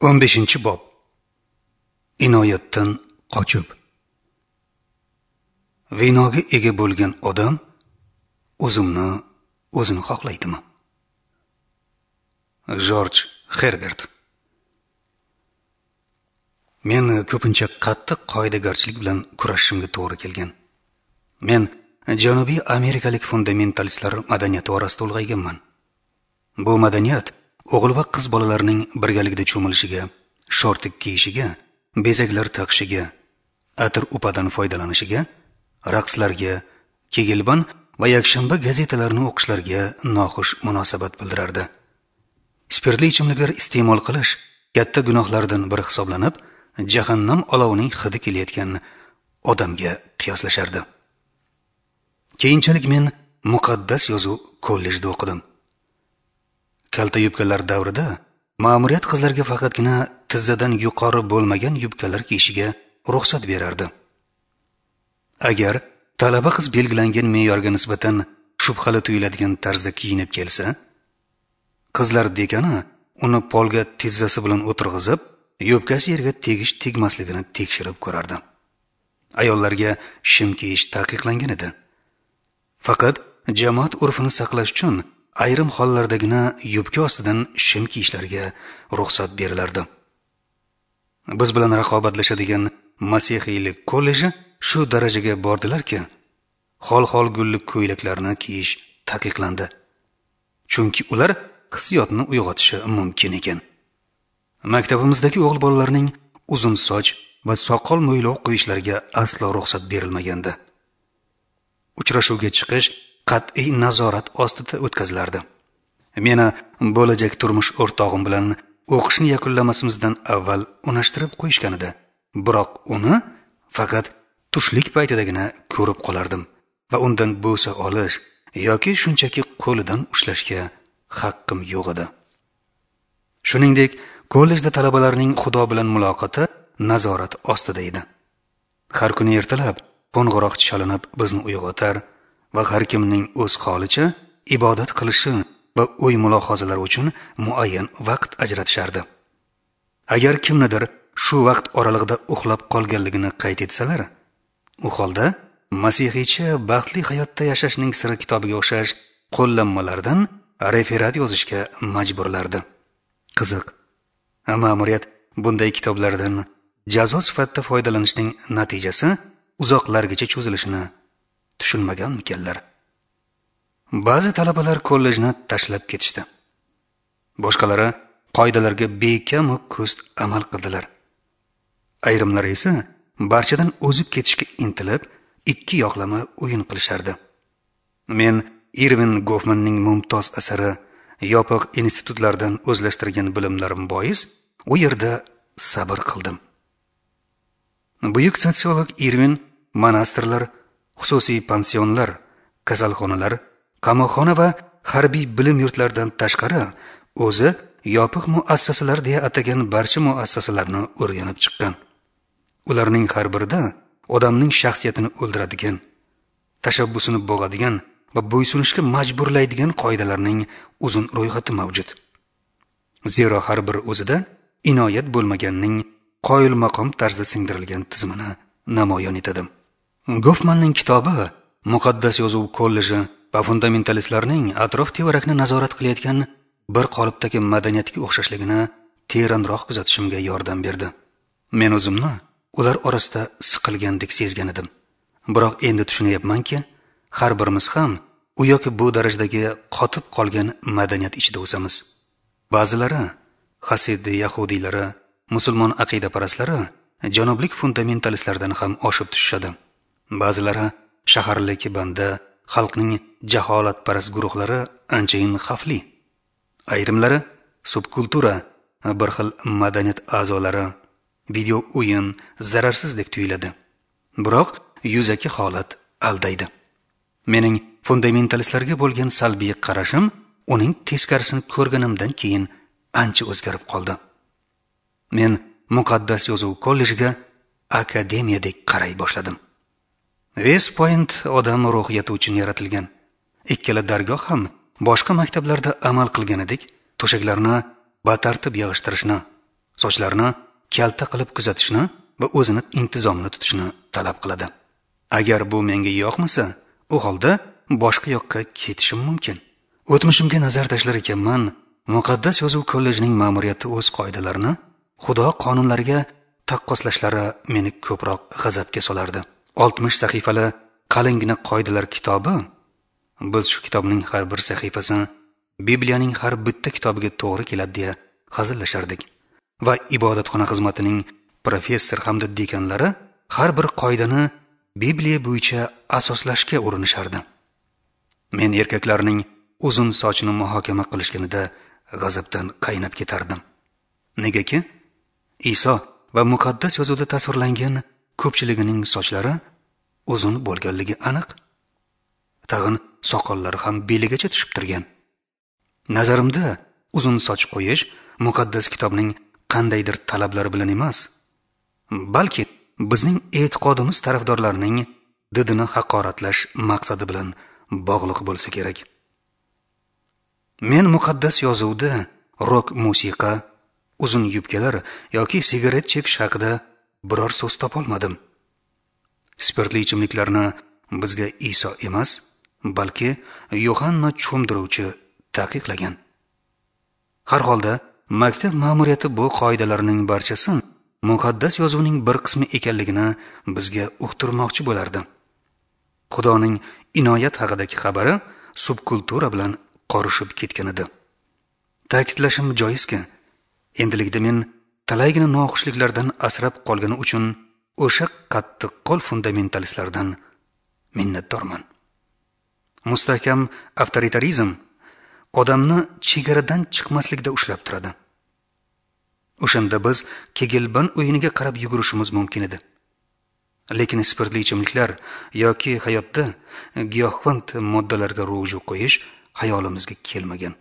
15-bob. Inoyatdan qochib. Vinoga ega bo'lgan odam o'zimni o'zini xohlaydimi? Jorj Herbert. Men ko'pincha qattiq qoidagarchilik bilan kurashishimga to'g'ri kelgan. Men Janubiy amerikalik fundamentalistlar madaniyati orasida ulg'ayganman. Bu madaniyat o'g'il va qiz bolalarning birgalikda cho'milishiga, shortik kiyishiga, bezaklar taqishiga, atir upadan foydalanishiga, raqslarga, kegelban va yakshanba gazetalarini o'qishlariga noxush munosabat bildirardi. Spirtli ichimliklar iste'mol qilish katta gunohlardan biri hisoblanib, jahannam olovining hidi kelayotgan odamga qiyoslashardi. Keyinchalik men muqaddas yozuv kollejda o'qidim. Kalta yubkalar davrida ma'muriyat qizlarga faqatgina tizzadan yuqori bo'lmagan yubkalar kiyishiga ruxsat berardi. Agar talaba qiz belgilangan me'yorga nisbatan shubhali tuyuladigan tarzda kiyinib kelsa, qizlar dekani uni polga tizzasi bilan o'tirg'izib, yubkasi yerga tegish tegmasligini tekshirib ko'rardi. Ayollarga shim kiyish taqiqlangan edi. Faqat jamoat urfini saqlash uchun ayrim hollardagina yubka ostidan shim kiyishlariga ruxsat berilardi. Biz bilan raqobatlashadigan masihiylik kolleji shu darajaga bordilarki, xol-xol gulli ko'ylaklarni kiyish taqiqlandi. Chunki ular hissiyotni uyg'otishi mumkin ekan. Maktabimizdagi o'g'il bolalarning uzun soch va soqol mo'ylov qo'yishlariga aslo ruxsat berilmagandi. Uchrashuvga chiqish qat'iy nazorat ostida o'tkazilardi. Meni bo'lajak turmush o'rtog'im bilan o'qishni yakunlamasimizdan avval unashtirib qo'yishgan edi. Biroq uni faqat tushlik paytidagina ko'rib qolardim va undan bo'sa olish yoki shunchaki qo'lidan ushlashga haqqim yo'q edi. Shuningdek, kollejda talabalarning Xudo bilan muloqoti nazorat ostida edi. Har kuni ertalab qo'ng'iroq chalinib bizni uyg'otar va har kimning o'z holicha ibodat qilishi va o'y mulohazalar uchun muayyan vaqt ajratishardi. Agar kimnidir shu vaqt oralig'ida uxlab qolganligini qayd etsalar, u holda masihiycha baxtli hayotda yashashning siri kitobiga o'xshash qo'llanmalardan referat yozishga majburlardi. Qiziq, ma'muriyat bunday kitoblardan jazo sifatida foydalanishning natijasi uzoqlargacha cho'zilishini tushunmaganmikanlar? Ba'zi talabalar kollejni tashlab ketishdi. Boshqalari qoidalarga bekamu ko'st amal qildilar. Ayrimlari esa barchadan o'zib ketishga intilib, ikki yoqlama o'yin qilishardi. Men Irvin Goffmanning mumtoz asari yopiq institutlardan o'zlashtirgan bilimlarim bois u yerda sabr qildim. Buyuk sotsiolog Irvin monastirlar, xususiy pansionlar, kasalxonalar, qamoqxona va harbiy bilim yurtlaridan tashqari o'zi yopiq muassasalar deya atagan barcha muassasalarni o'rganib chiqqan. Ularning har birida odamning shaxsiyatini o'ldiradigan, tashabbusini bo'g'adigan va bo'ysunishga majburlaydigan qoidalarning uzun ro'yxati mavjud. Zero har bir o'zida inoyat bo'lmaganning qoyil maqom tarzda singdirilgan tizimini namoyon etadi. Goffmanning kitobi muqaddas yozuv kolleji va fundamentalistlarning atrof-tevarakni nazorat qilayotgan bir qolipdagi madaniyatga o'xshashligini teranroq kuzatishimga yordam berdi. Men o'zimni ular orasida siqilgandek sezgan edim. Biroq endi tushunyapmanki, har birimiz ham u yoki bu darajadagi qotib qolgan madaniyat ichida o'samiz. Ba'zilari hasidi yahudiylari, musulmon aqidaparastlari janublik fundamentalistlardan ham oshib tushishadi. Ba'zilari shaharlik banda, xalqning jaholatparast guruhlari anchayin xavfli. Ayrimlari subkultura, bir xil madaniyat a'zolari, video o'yin zararsizdek tuyuladi. Biroq yuzaki holat aldaydi. Mening fundamentalistlarga bo'lgan salbiy qarashim uning teskarisini ko'rganimdan keyin ancha o'zgarib qoldi. Men muqaddas yozuv kollejiga akademiyadek qaray boshladim. West Point odam ruhiyati uchun yaratilgan. Ikkala dargoh ham boshqa maktablarda amal qilganidek to'shaklarni batartib yig'ishtirishni, Sochlarni kalta qilib kuzatishni va o'zini intizomli tutishni talab qiladi. Agar bu menga yoqmasa, u holda boshqa yoqqa ketishim mumkin. O'tmishimga nazar tashlar ekanman, Muqaddas yozuv kollejining ma'muriyati o'z qoidalarini Xudo qonunlariga taqqoslashlari meni ko'proq g'azabga solardi. 60 sahifali qalingina qoidalar kitobi, biz shu kitobning har bir sahifasi Bibliyaning har bitta kitobiga to'g'ri keladi deya hazillashardik. Va ibodatxona xizmatining professor hamda dekanlari har bir qoidani Bibliya bo'yicha asoslashga urinishardi. Men erkaklarning uzun sochini muhokama qilishganida g'azabdan qaynab ketardim. Negaki Iso va muqaddas yozuvda tasvirlangan ko'pchiligining sochlari uzun bo'lganligi aniq. Tag'in soqollari ham beligacha tushib turgan. Nazarimda uzun soch qo'yish muqaddas kitobning qandaydir talablari bilan emas, balki bizning e'tiqodimiz tarafdorlarining didini haqoratlash maqsadi bilan bog'liq bo'lsa kerak. Men muqaddas yozuvda rok musiqa, uzun yubkalar yoki sigaret chekish haqida biror so'z topolmadim. Spirtli ichimliklarni bizga Iso emas, balki Yohanna cho'mdiruvchi taqiqlagan. Har holda maktab ma'muriyati bu qoidalarning barchasi muqaddas yozuvning bir qismi ekanligini bizga uqtirmoqchi bo'lardi. Xudoning inoyat haqidagi xabari subkultura bilan qorishib ketgan edi. Ta'kidlashim joizki, endilikda men talaygina noxushliklardan asrab qolgani uchun o'sha qattiqqo'l fundamentalistlardan minnatdorman. Mustahkam avtoritarizm odamni chegaradan chiqmaslikda ushlab turadi. O'shanda biz Kegelban o'yiniga qarab yugurishimiz mumkin edi. Lekin spirtli ichimliklar yoki hayotda giyohvand moddalarga ruju qo'yish hayolimizga kelmagan.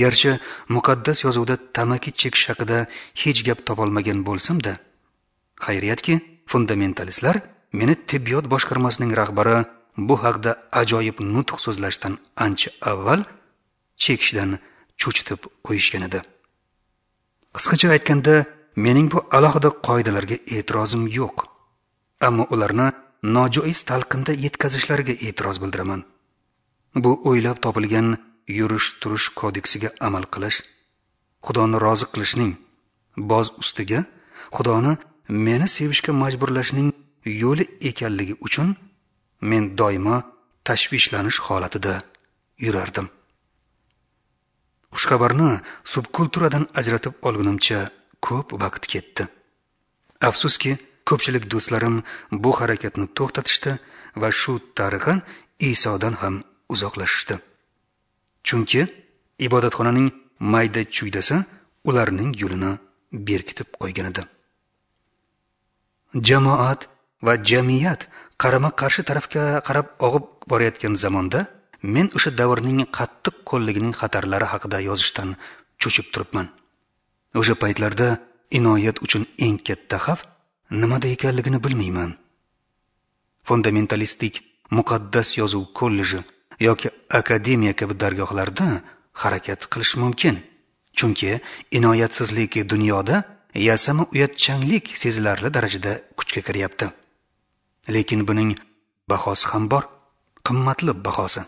Garchi muqaddas yozuvda tamaki chekish haqida hech gap topolmagan bo'lsam-da, xayriyatki, fundamentalistlar meni tibbiyot boshqarmasining rahbari bu haqda ajoyib nutq so'zlashdan ancha avval chekishdan cho'chitib qo'yishgan edi. Qisqacha aytganda, mening bu alohida qoidalarga e'tirozim yo'q, ammo ularni nojoiz talqinda yetkazishlariga e'tiroz bildiraman. Bu o'ylab topilgan yurish-turish kodeksiga amal qilish, Xudoni rozi qilishning, boz ustiga Xudoni meni sevishga majburlashning yo'li ekanligi uchun men doimo tashvishlanish holatida yurardim. Xushxabarni subkulturadan ajratib olgunimcha ko'p vaqt ketdi. Afsuski, ko'pchilik do'stlarim bu harakatni to'xtatishdi va shu tariqa Isodan ham uzoqlashishdi. Chunki ibodatxonaning mayda chuydasi ularning yo'lini berkitib qo'ygan edi. Jamoat va jamiyat qarama-qarshi tarafga qarab og'ib borayotgan zamonda men o'sha davrning qattiq qo'lligining xatarlari haqida yozishdan cho'chib turibman. O'sha paytlarda inoyat uchun eng katta xavf nimada ekanligini bilmayman. Fundamentalistik muqaddas yozuv kolleji yoki akademiya kabi dargohlarda harakat qilish mumkin. Chunki inoyatsizlik dunyoda yasama uyatchanlik sezilarli darajada kuchga kiryapti. Lekin buning bahosi ham bor, qimmatli bahosi.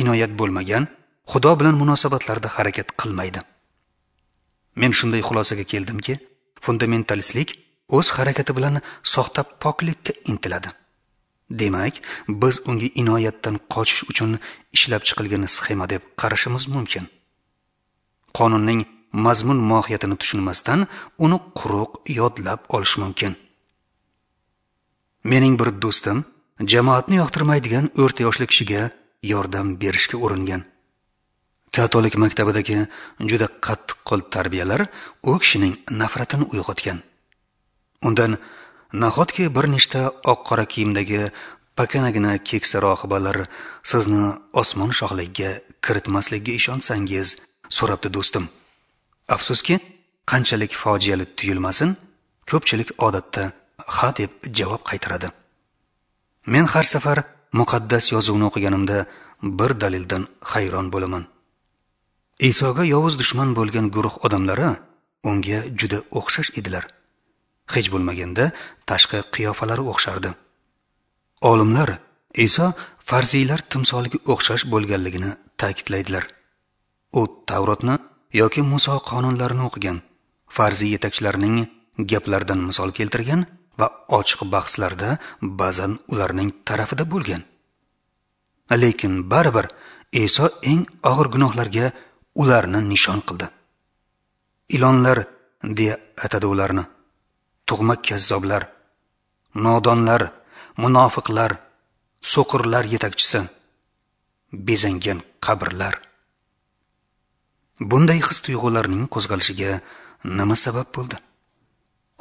Inoyat bo'lmagan Xudo bilan munosabatlarda harakat qilmaydi. Men shunday xulosaga keldimki, fundamentalistlik o'z harakati bilan soxta poklikka intiladi. Demak, biz unga inoyatdan qochish uchun ishlab chiqilgan sxema deb qarashimiz mumkin. Qonunning mazmun mohiyatini tushunmasdan uni quruq yodlab olish mumkin. Mening bir do'stim jamoatni yoqtirmaydigan o'rta yoshli kishiga yordam berishga uringan. Katolik maktabidagi juda qattiqqo'l tarbiyalar u kishining nafratini uyg'otgan. Undan nahotki bir nechta oq-qora kiyimdagi pakanagina keksa rohibalar sizni osmon shohligiga kiritmasligiga ishonsangiz, so'rabdi do'stim. Afsuski, qanchalik fojiali tuyulmasin, ko'pchilik odatda ha deb javob qaytaradi. Men har safar muqaddas yozuvni o'qiganimda bir dalildan hayron bo'laman. Isoga yovuz dushman bo'lgan guruh odamlari unga juda o'xshash edilar. Hech bo'lmaganda tashqi qiyofalari o'xshardi. Olimlar Iso farziylar timsoliga o'xshash bo'lganligini ta'kidlaydilar. U Tavrotni yoki Muso qonunlarini o'qigan, farziy yetakchilarining gaplaridan misol keltirgan va ochiq bahslarda ba'zan ularning tarafida bo'lgan. Lekin baribir Iso eng og'ir gunohlarga ularni nishon qildi. Ilonlar deya atadi ularni. Tug'ma kazzoblar, nodonlar, munofiqlar, so'qirlar yetakchisi, bezangan qabrlar. Bunday his tuyg'ularning qo'zg'alishiga nima sabab bo'ldi?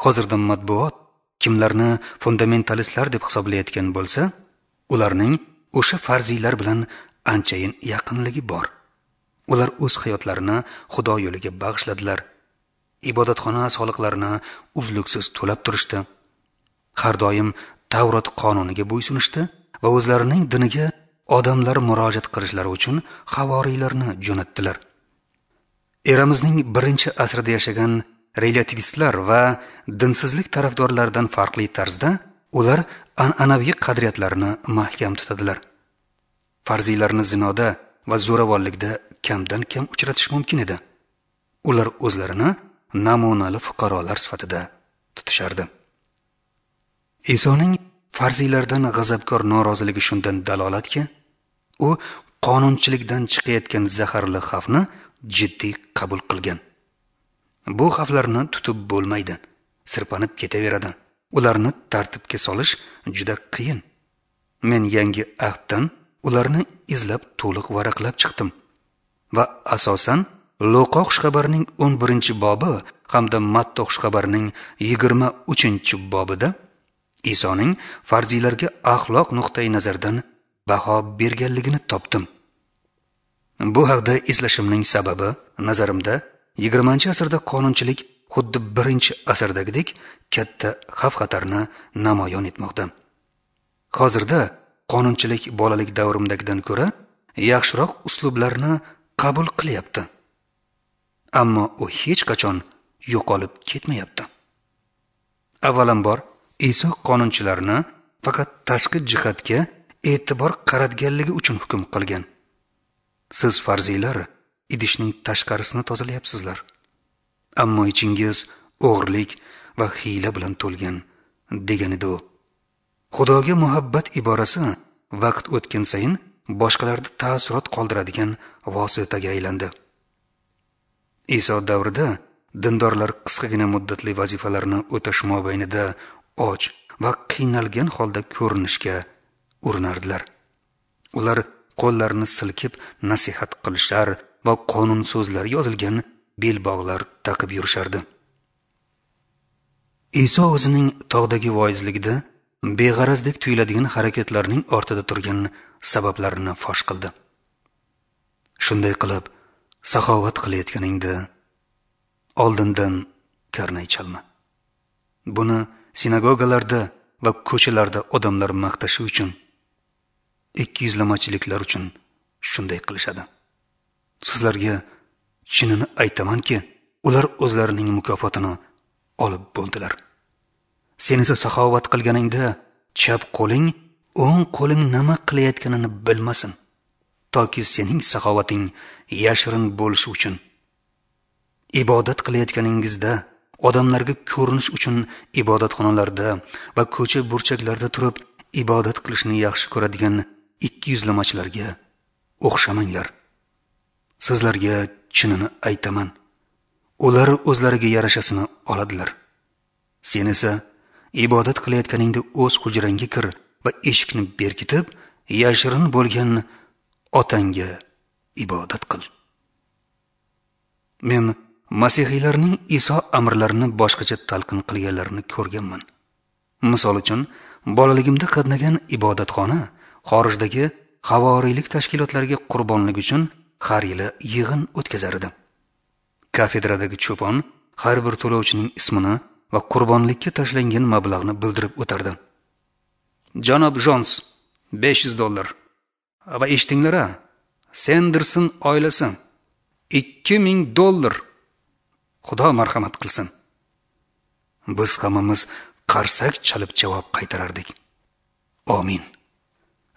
Hozirda matbuot kimlarni fundamentalistlar deb hisoblayotgan bo'lsa, ularning o'sha farziylar bilan anchayin yaqinligi bor. Ular o'z hayotlarini Xudo yo'liga bag'ishladilar. Ibodatxona soliqlarini uzluksiz to'lab turishdi. Har doim Tavrot qonuniga bo'ysunishdi va o'zlarining diniga odamlar murojaat qilishlari uchun havoriylarni jo'natdilar. Eramizning 1-asrida yashagan relativistlar va dinsizlik tarafdorlaridan farqli tarzda ular an'anaviy qadriyatlarni mahkam tutadilar. Farziylarni zinoda va zo'ravonlikda kamdan kam uchratish mumkin edi. Ular o'zlarini namunali fuqarolar sifatida tutishardi. Isoning farziylardan g'azabkor noroziligi shundan dalolatki, u qonunchilikdan chiqayotgan zaharli xavfni jiddiy qabul qilgan. Bu xavflarni tutib bo'lmaydi, sirpanib ketaveradi. Ularni tartibga solish juda qiyin. Men yangi ahddan ularni izlab to'liq varaqlab chiqdim va asosan Luqa xushxabarining 11-bobi hamda Matta xushxabarining 23-bobida Isoning farziylarga axloq nuqtai nazaridan baho berganligini topdim. Bu haqda eslashimning sababi, nazarimda 20-asrda qonunchilik xuddi 1-asrdagidek katta xavf-xatarni namoyon etmoqda. Hozirda qonunchilik bolalik davrimdagidan ko'ra yaxshiroq uslublarni qabul qilyapti. Ammo u hech qachon yo'qolib ketmayapti. Avvalambor, Iso qonunchilarni faqat tashqi jihatga e'tibor qaratganligi uchun hukm qilgan. Siz farziylar idishning tashqarisini tozalayapsizlar, ammo ichingiz o'g'irlik va hiyla bilan to'lgan, degan edi u. Xudoga muhabbat iborasi vaqt o'tgan sayin boshqalarda taassurot qoldiradigan vositaga aylandi. Iso davrida dindorlar qisqagina muddatli vazifalarni o'tash mobaynida och va qiynalgan holda ko'rinishga urinardilar. Ular qo'llarini silkib nasihat qilishar va qonun so'zlari yozilgan belbog'lar taqib yurishardi. Iso o'zining tog'dagi voizligida beg'arazdek tuyuladigan harakatlarning ortida turgan sabablarini fosh qildi. Shunday qilib, saxovat qilayotganingda oldindan karnay chalma. Buni sinagogalarda va ko'chalarda odamlar maqtashi uchun, ikkiyuzlamachiliklar uchun shunday qilishadi. Sizlarga chinini aytamanki, ular o'zlarining mukofotini olib bo'ldilar. Sen esa saxovat qilganingda chap qo'ling o'ng qo'ling nima qilayotganini bilmasin, toki sening saxovating yashirin bo'lishi uchun. Ibodat qilayotganingizda odamlarga ko'rinish uchun ibodatxonalarda va ko'cha burchaklarda turib ibodat qilishni yaxshi ko'radigan ikkiyuzlamachilarga o'xshamanglar. Sizlarga chinini aytaman, ular o'zlariga yarashasini oladilar. Sen esa ibodat qilayotganingda o'z hujrangga kir va eshikni berkitib, yashirin bo'lgan otangga ibodat qil. Men masihiylarning Iso amrlarini boshqacha talqin qilganlarini ko'rganman. Misol uchun, bolaligimda qatnagan ibodatxona xorijdagi havoriylik tashkilotlariga qurbonlik uchun har yili yig'in o'tkazar edi. Kafedradagi cho'pon har bir to'lovchining ismini va qurbonlikka tashlangan mablag'ni bildirib o'tardi. Janob Jons $500. Va eshitinglar-a, Senderson oilasi $2000. Xudo marhamat qilsin. Biz hammamiz qarsak chalib javob qaytarardik. Amin.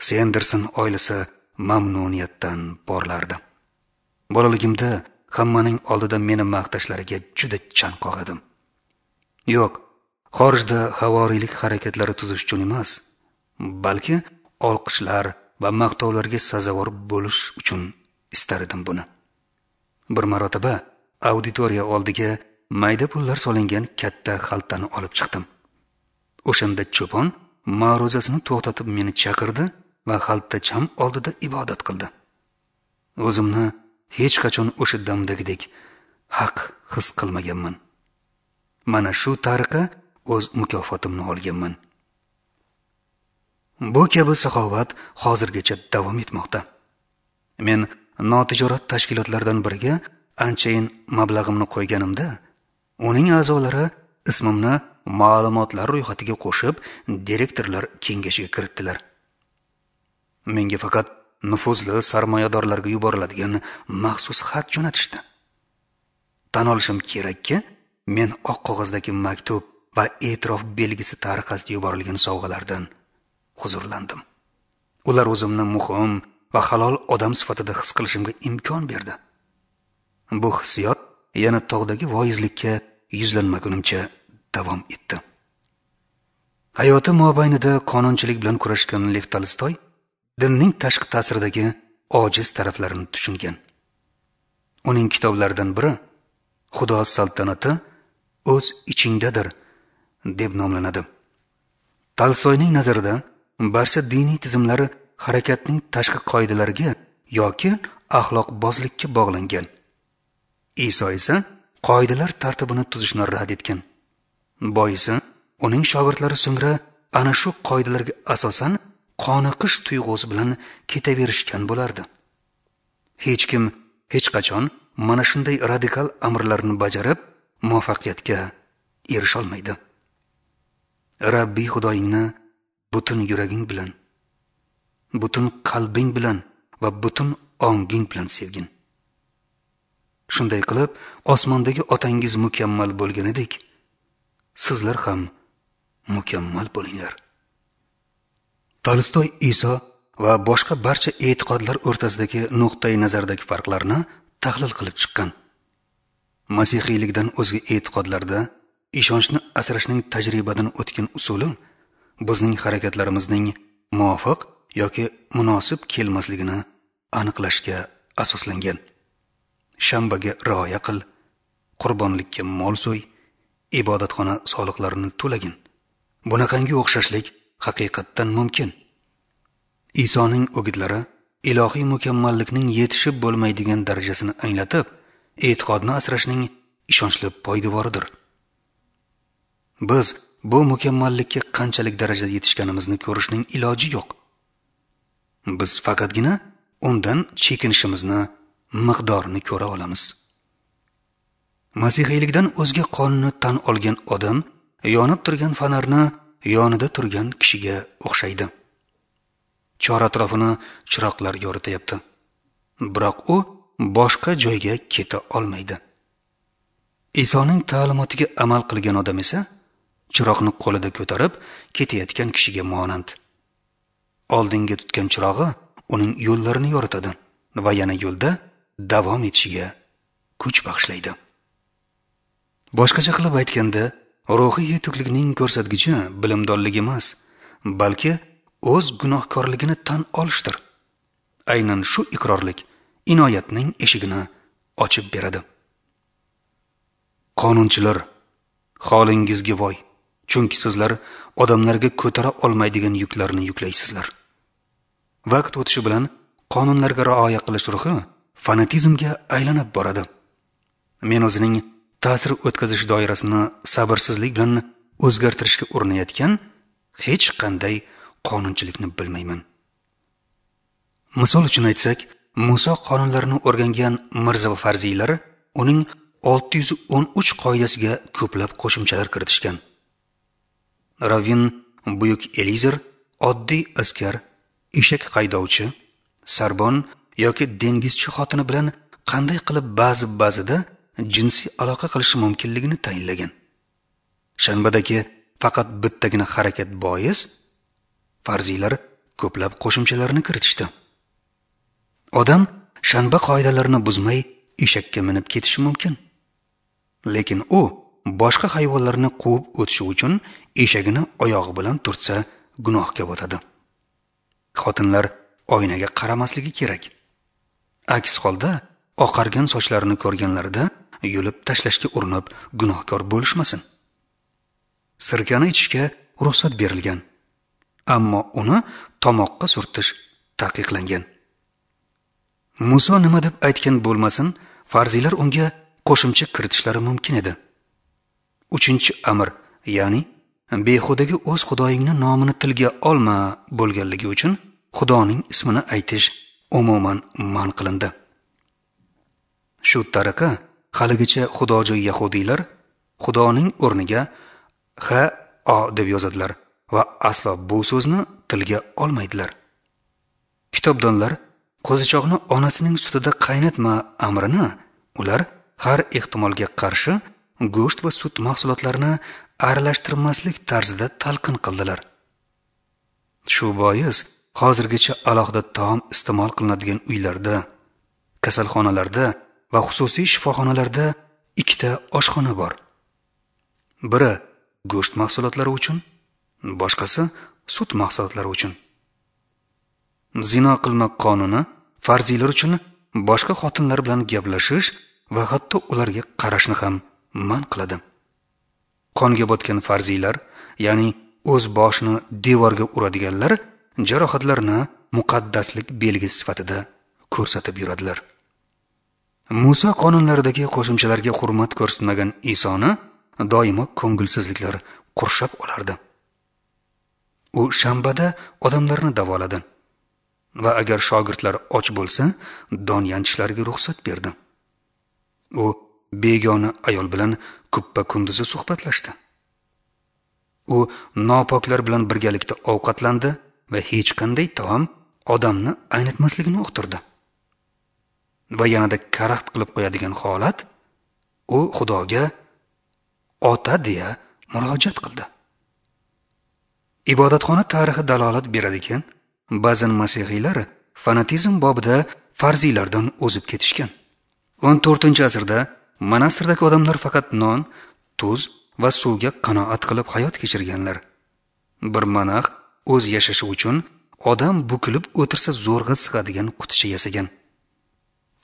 Senderson oilasi mamnuniyatdan porlardi. Bolaligimda hammaning oldida meni maqtashlariga juda chanqoq edim. Yo'q, xorijda havoriylik harakatlari tuzish uchun emas, balki olqishlar va maqtovlarga sazovor bo'lish uchun istar edim buni. Bir marotaba auditoriya oldiga mayda pullar solingan katta xaltani olib chiqdim. O'shanda cho'pon ma'ruzasini to'xtatib meni chaqirdi va xaltacham oldida ibodat qildi. O'zimni hech qachon o'sha damdagidek haq his qilmaganman. Mana shu tariqa o'z mukofotimni olganman. Bu kabi saxovat hozirgacha davom etmoqda. Men notijorat tashkilotlaridan biriga anchayin mablag'imni qo'yganimda, uning a'zolari ismimni ma'lumotlar ro'yxatiga qo'shib, direktorlar kengashiga kiritdilar. Menga faqat nufuzli sarmoyadorlarga yuboriladigan maxsus xat jo'natishdi. Tan olishim kerakki, men oq qog'ozdagi maktub va e'tirof belgisi tariqasida yuborilgan sovg'alardan huzurlandim. Ular o'zimni muhim va halol odam sifatida his qilishimga imkon berdi. Bu hissiyot yana tog'dagi voizlikka yuzlanmagunimcha davom etdi. Hayoti mobaynida qonunchilik bilan kurashgan Lev Tolstoy dinning tashqi ta'siridagi ojiz taraflarini tushungan. Uning kitoblaridan biri Xudo saltanati o'z ichingdadir deb nomlanadi. Tolstoyning nazarida barcha diniy tizimlar harakatning tashqi qoidalariga yoki axloqbozlikka bog'langan. Iso esa qoidalar tartibini tuzishni rad etgan. Boisi, uning shogirdlari so'ngra ana shu qoidalarga asosan qoniqish tuyg'usi bilan ketaverishgan bo'lardi. Hech kim hech qachon mana shunday radikal amrlarni bajarib muvaffaqiyatga erisha olmaydi. Rabbiy Xudoyingni butun yuraging bilan, butun qalbing bilan va butun onging bilan sevgin. Shunday qilib, osmondagi otangiz mukammal bo'lganidek, sizlar ham mukammal bo'linglar. Tolstoy Iso va boshqa barcha e'tiqodlar o'rtasidagi nuqtai nazardagi farqlarni tahlil qilib chiqqan. Masihiylikdan o'zga e'tiqodlarda ishonchni asrashning tajribadan o'tgan usuli bizning harakatlarimizning muvofiq yoki munosib kelmasligini aniqlashga asoslangan. Shanbaga rioya qil, qurbonlikka mol so'y, ibodatxona soliqlarini to'lagin. Bunaqangi o'xshashlik haqiqatdan mumkin. Isoning o'gitlari ilohiy mukammallikning yetishib bo'lmaydigan darajasini anglatib, e'tiqodni asrashning ishonchli poydevoridir. Biz bu mukammallikka qanchalik darajada yetishganimizni ko'rishning iloji yo'q. Biz faqatgina undan chekinishimizni miqdorini ko'ra olamiz. Masihiylikdan o'zga qonunni tan olgan odam yonib turgan fonarni yonida turgan kishiga o'xshaydi. Chor atrofini chiroqlar yorityapti. Biroq u boshqa joyga keta olmaydi. Isoning ta'limotiga amal qilgan odam esa chiroqni qo'lida ko'tarib ketayotgan kishiga monand. Oldinga tutgan chirog'i uning yo'llarini yoritadi va yana yo'lda davom etishiga kuch bag'ishlaydi. Boshqacha qilib aytganda, ruhiy yetuklikning ko'rsatgichi bilimdonlik emas, balki o'z gunohkorligini tan olishdir. Aynan shu iqrorlik inoyatning eshigini ochib beradi. Qonunchilar, holingizga voy, chunki sizlar odamlarga ko'tara olmaydigan yuklarni yuklaysizlar. Vaqt o'tishi bilan qonunlarga rioya qilish ruhi fanatizmga aylanib boradi. Men o'zining ta'sir o'tkazish doirasini sabrsizlik bilan o'zgartirishga urinayotgan hech qanday qonunchilikni bilmayman. Misol uchun aytsak, Muso qonunlarini o'rgangan Mirza va farziylar uning 613 qoidasiga ko'plab qo'shimchalar kiritishgan. Ravvin Buyuk Elizer oddiy askar, eshak haydovchi, sarbon yoki dengizchi xotini bilan qanday qilib ba'zi-ba'zida jinsiy aloqa qilishi mumkinligini tayinlagan. Shanbadagi faqat bittagina harakat bois farziylar ko'plab qo'shimchalarni kiritishdi. Odam shanba qoidalarini buzmay eshakka minib ketishi mumkin. Lekin u boshqa hayvonlarni quvib o'tishi uchun eshagini oyog'i bilan turtsa gunohga botadi. Xotinlar oynaga qaramasligi kerak. Aks holda oqargan sochlarini ko'rganlarida yulib tashlashga urinib gunohkor bo'lishmasin. Sirkani ichishga ruxsat berilgan, ammo uni tomoqqa surtish taqiqlangan. Muso nima deb aytgan bo'lmasin, farziylar unga qo'shimcha kiritishlari mumkin edi. 3-amr, ya'ni behudaga o'z xudoyingning nomini tilga olma bo'lganligi uchun Xudoning ismini aytish umuman man qilindi. Shu tariqa haligacha xudojo'y yahudiylar Xudoning o'rniga H O deb yozadilar va aslo bu so'zni tilga olmaydilar. Kitobdonlar qo'zichoqni onasining sutida qaynatma amrini ular har ehtimolga qarshi go'sht va sut mahsulotlarini aralashtirmaslik tarzida talqin qildilar. Shu bois hozirgacha alohida taom iste'mol qilinadigan uylarda, kasalxonalarda va xususiy shifoxonalarda ikkita oshxona bor. Biri go'sht mahsulotlari uchun, boshqasi sut mahsulotlari uchun. Zino qilma qonuni farziylar uchun boshqa xotinlar bilan gaplashish va hatto ularga qarashni ham man qiladi. Qonga botgan farziylar, ya'ni o'z boshini devorga uradiganlar jarohatlarni muqaddaslik belgisi sifatida ko'rsatib yuradilar. Musa qonunlaridagi qo'shimchalarga hurmat ko'rsatmagan Isoni doimo ko'ngilsizliklar qurshab olardi. U shanbada odamlarni davoladi va agar shogirdlar och bo'lsa, don yanchishlariga ruxsat berdi. U begona ayol bilan kuppa-kunduzi suhbatlashdi. U nopoklar bilan birgalikda ovqatlandi va hech qanday taom odamni aynitmasligini uqtirdi. Va yanada karaxt qilib qo'yadigan holat, u Xudoga ota deya murojaat qildi. Ibodatxona tarixi dalolat beradiki, ba'zan masihiylar fanatizm bobida farziylardan o'zib ketishgan. 14-asrda monastirdagi odamlar faqat non, tuz va suvga qanoat qilib hayot kechirganlar. Bir monax o'z yashashi uchun odam bukilib o'tirsa zo'rg'a sig'adigan quticha yasagan.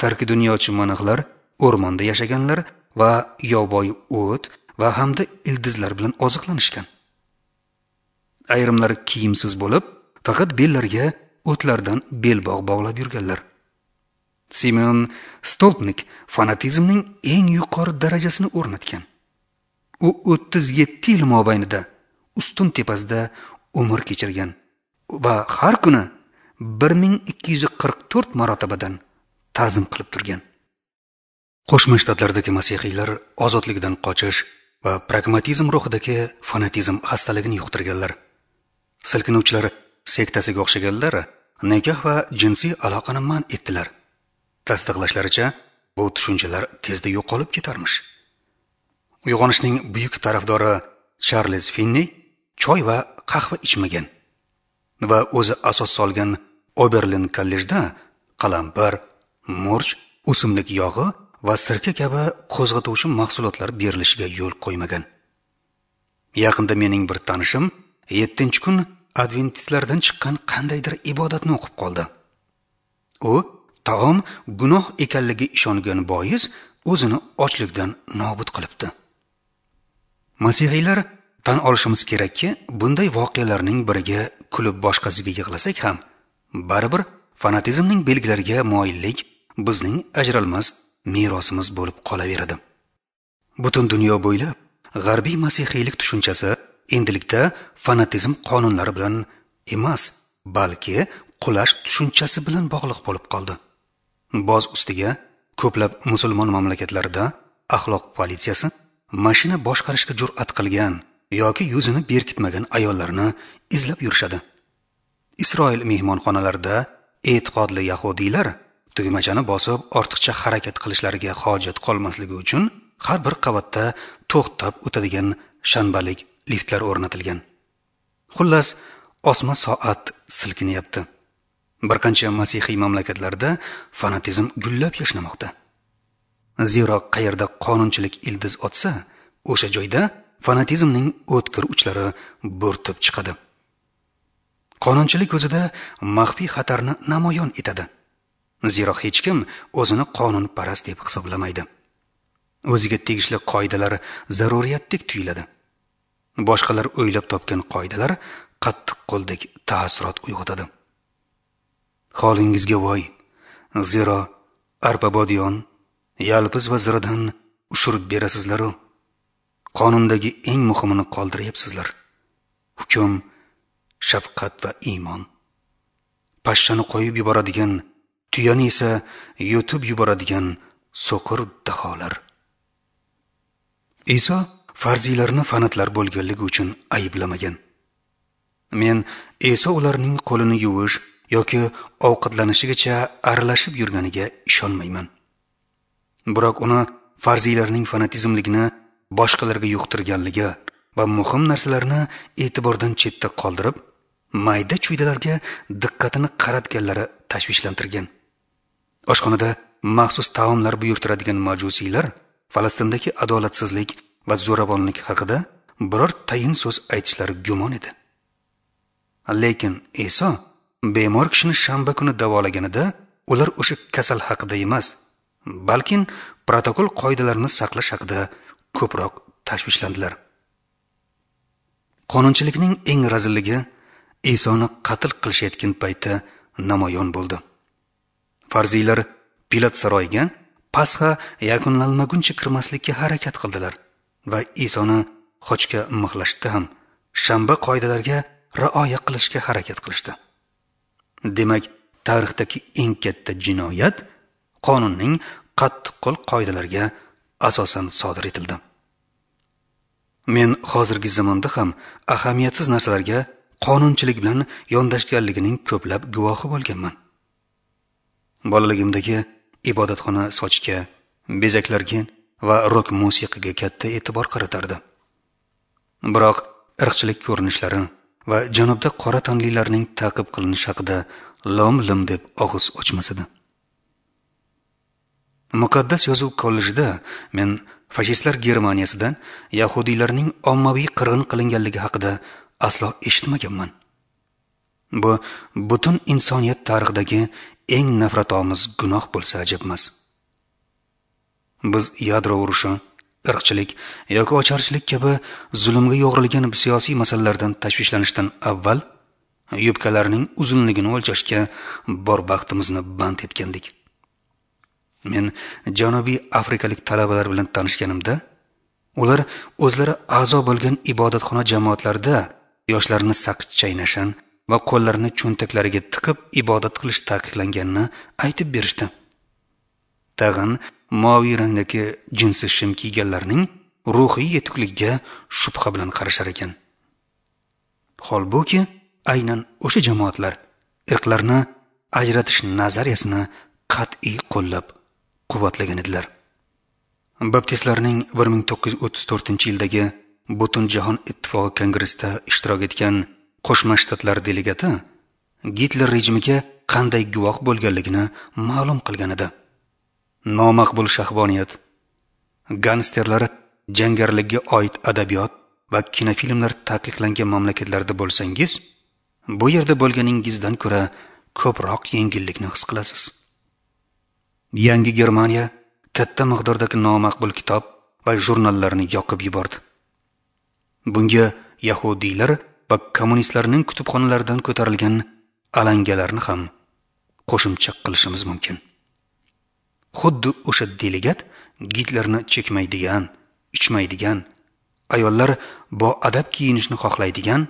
Tarki dunyochi monaxlar o'rmonda yashaganlar va yovvoyi o't va hamda ildizlar bilan oziqlanishgan. Ayrimlari kiyimsiz bo'lib, faqat bellariga o'tlardan belbog' bog'lab yurganlar. Simeon Stolpnik fanatizmning eng yuqori darajasini o'rnatgan. U 37 yil mobaynida ustun tepasida umr kechirgan va har kuni 1244 marotabadan ta'zim qilib turgan. Qo'shma Shtatlardagi masihiylar ozodlikdan qochish va pragmatizm ruhidagi fanatizm xastaligini yuqtirganlar. Silkinuvchilar sektasiga o'xshaganlar nikoh va jinsiy aloqani man etdilar. Tasdiqlashlaricha, bu tushunchalar tezda yo'qolib ketarmish. Uyg'onishning buyuk tarafdori Charles Finney choy va qahva ichmagan va o'zi asos solgan Oberlin kollejda qalampir, murch, o'simlik yog'i va sirka kabi qo'zg'atuvchi mahsulotlar berilishiga yo'l qo'ymagan. Yaqinda mening bir tanishim 7-kun adventistlardan chiqqan qandaydir ibodatni o'qib qoldi. U taom gunoh ekanligiga ishongan bois o'zini ochlikdan nobud qilibdi. Masihiylar tan olishimiz kerakki, bunday voqealarning biriga kulib boshqasiga yig'lasak ham, baribir fanatizmning belgilariga moyillik bizning ajralmas merosimiz bo'lib qolaveradi. Butun dunyo bo'ylab g'arbiy masihiylik tushunchasi endilikda fanatizm qonunlari bilan emas, balki qulash tushunchasi bilan bog'liq bo'lib qoldi. Boz ustiga ko'plab musulmon mamlakatlarida axloq politsiyasi mashina boshqarishga jur'at qilgan yoki yuzini berkitmagan ayollarni izlab yurishadi. Isroil mehmonxonalarida e'tiqodli yahudiylar Tugmachani bosib ortiqcha harakat qilishlariga hojat qolmasligi uchun har bir qavatda to'xtab o'tadigan shanbalik liftlar o'rnatilgan. Xullas, osma soat silkinyapti. Bir qancha masihiy mamlakatlarda fanatizm gullab yashnamoqda. Zero qayerda qonunchilik ildiz otsa, o'sha joyda fanatizmning o'tkir uchlari bo'rtib chiqadi. Qonunchilik o'zida maxfiy xatarni namoyon etadi. Zero hech kim o'zini qonunparast deb hisoblamaydi. O'ziga tegishli qoidalar zaruriyatdek tuyuladi. Boshqalar o'ylab topgan qoidalar qattiq qo'ldek taassurot uyg'otadi. Holingizga voy, zero arpa bodiyon, yalpiz va ziradan ushirib berasizlar-u, qonundagi eng muhimini qoldiryapsizlar. Hukm, shafqat va iymon. Pashshani qo'yib yuboradigan, tuyani esa yutib yuboradigan so'qir daholar. Iso farziylarni fanatlar bo'lganligi uchun ayblamagan. Men Iso ularning qo'lini yuvish yoki ovqatlanishigacha aralashib yurganiga ishonmayman. Biroq uni farziylarning fanatizmligini boshqalarga yuqtirganligi va muhim narsalarni e'tibordan chetda qoldirib, mayda-chuydalarga diqqatini qaratganlari tashvishlantirgan. Oshxonada maxsus taomlar buyurtiradigan majusiylar Falastindagi adolatsizlik va zo'ravonlik haqida biror tayin so'z aytishlari gumon edi. Lekin Iso bemor kishini shanba kuni davolaganida ular o'sha kasal haqida emas, balkim protokol qoidalarini saqlash haqida ko'proq tashvishlandilar. Qonunchilikning eng razilligi Isoni qatl qilishayotgan paytda namoyon bo'ldi. Farziylar Pilat saroyiga Pasxa yakunlanmaguncha kirmaslikka harakat qildilar va Isoni xochga mixlashda ham shanba qoidalariga rioya qilishga harakat qilishdi. Demak, tarixdagi eng katta jinoyat qonunning qattiqqo'l qoidalariga asosan sodir etildi. Men hozirgi zamonda ham ahamiyatsiz narsalarga qonunchilik bilan yondashganligining ko'plab guvohi bo'lganman. Bolaligimdagi ibodatxona sochga, bezaklarga va rok musiqiga katta e'tibor qaratardi. Biroq irqchilik ko'rinishlari va janubda qora tanlilarning ta'qib qilinishi haqida lom-lim deb og'iz ochmas edi. Muqaddas yozuv kollejida men fashistlar Germaniyasidan yahudiylarning ommaviy qirg'in qilinganligi haqida aslo eshitmaganman. Bu butun insoniyat tarixidagi eng nafratomuz gunoh bo'lsa ajab emas. Biz yadro urushi, irqchilik yoki ocharchilik kabi zulmga yo'g'rilgan siyosiy masalalardan tashvishlanishdan avval yubkalarning uzunligini o'lchashga bor vaqtimizni band etgandik. Men Janubiy Afrikalik talabalar bilan tanishganimda, ular o'zlari a'zo bo'lgan ibodatxona jamoatlarida yoshlarni saqich chaynashan va qo'llarini cho'ntaklariga tiqib ibodat qilish taqiqlanganini aytib berishdi. Tag'in moviy rangdagi jinsi shim kiyganlarning ruhiy yetukligiga shubha bilan qarashar ekan. Holbuki, aynan o'sha jamoatlar irqlarni ajratish nazariyasini qat'iy qo'llab quvvatlagan edilar. Baptistlarning 1934-yildagi Butunjahon ittifoqi kongressida ishtirok etgan Qo'shma Shtatlar delegati Gitler rejimiga qanday guvoh bo'lganligini ma'lum qilgan edi. Nomaqbul shahvoniyat, gangsterlar jangarlikka oid adabiyot va kinofilmlar taqiqlangan mamlakatlarda bo'lsangiz, bu yerda bo'lganingizdan ko'ra ko'proq yengillikni his qilasiz. Yangi Germaniya katta miqdordagi nomaqbul kitob va jurnallarni yoqib yubordi. Bunga yahudiylar va kommunistlarning kutubxonalaridan ko'tarilgan alangalarni ham qo'shimcha qilishimiz mumkin. Xuddi o'sha delegat Gitlerni chekmaydigan, ichmaydigan, ayollar boadab kiyinishni xohlaydigan,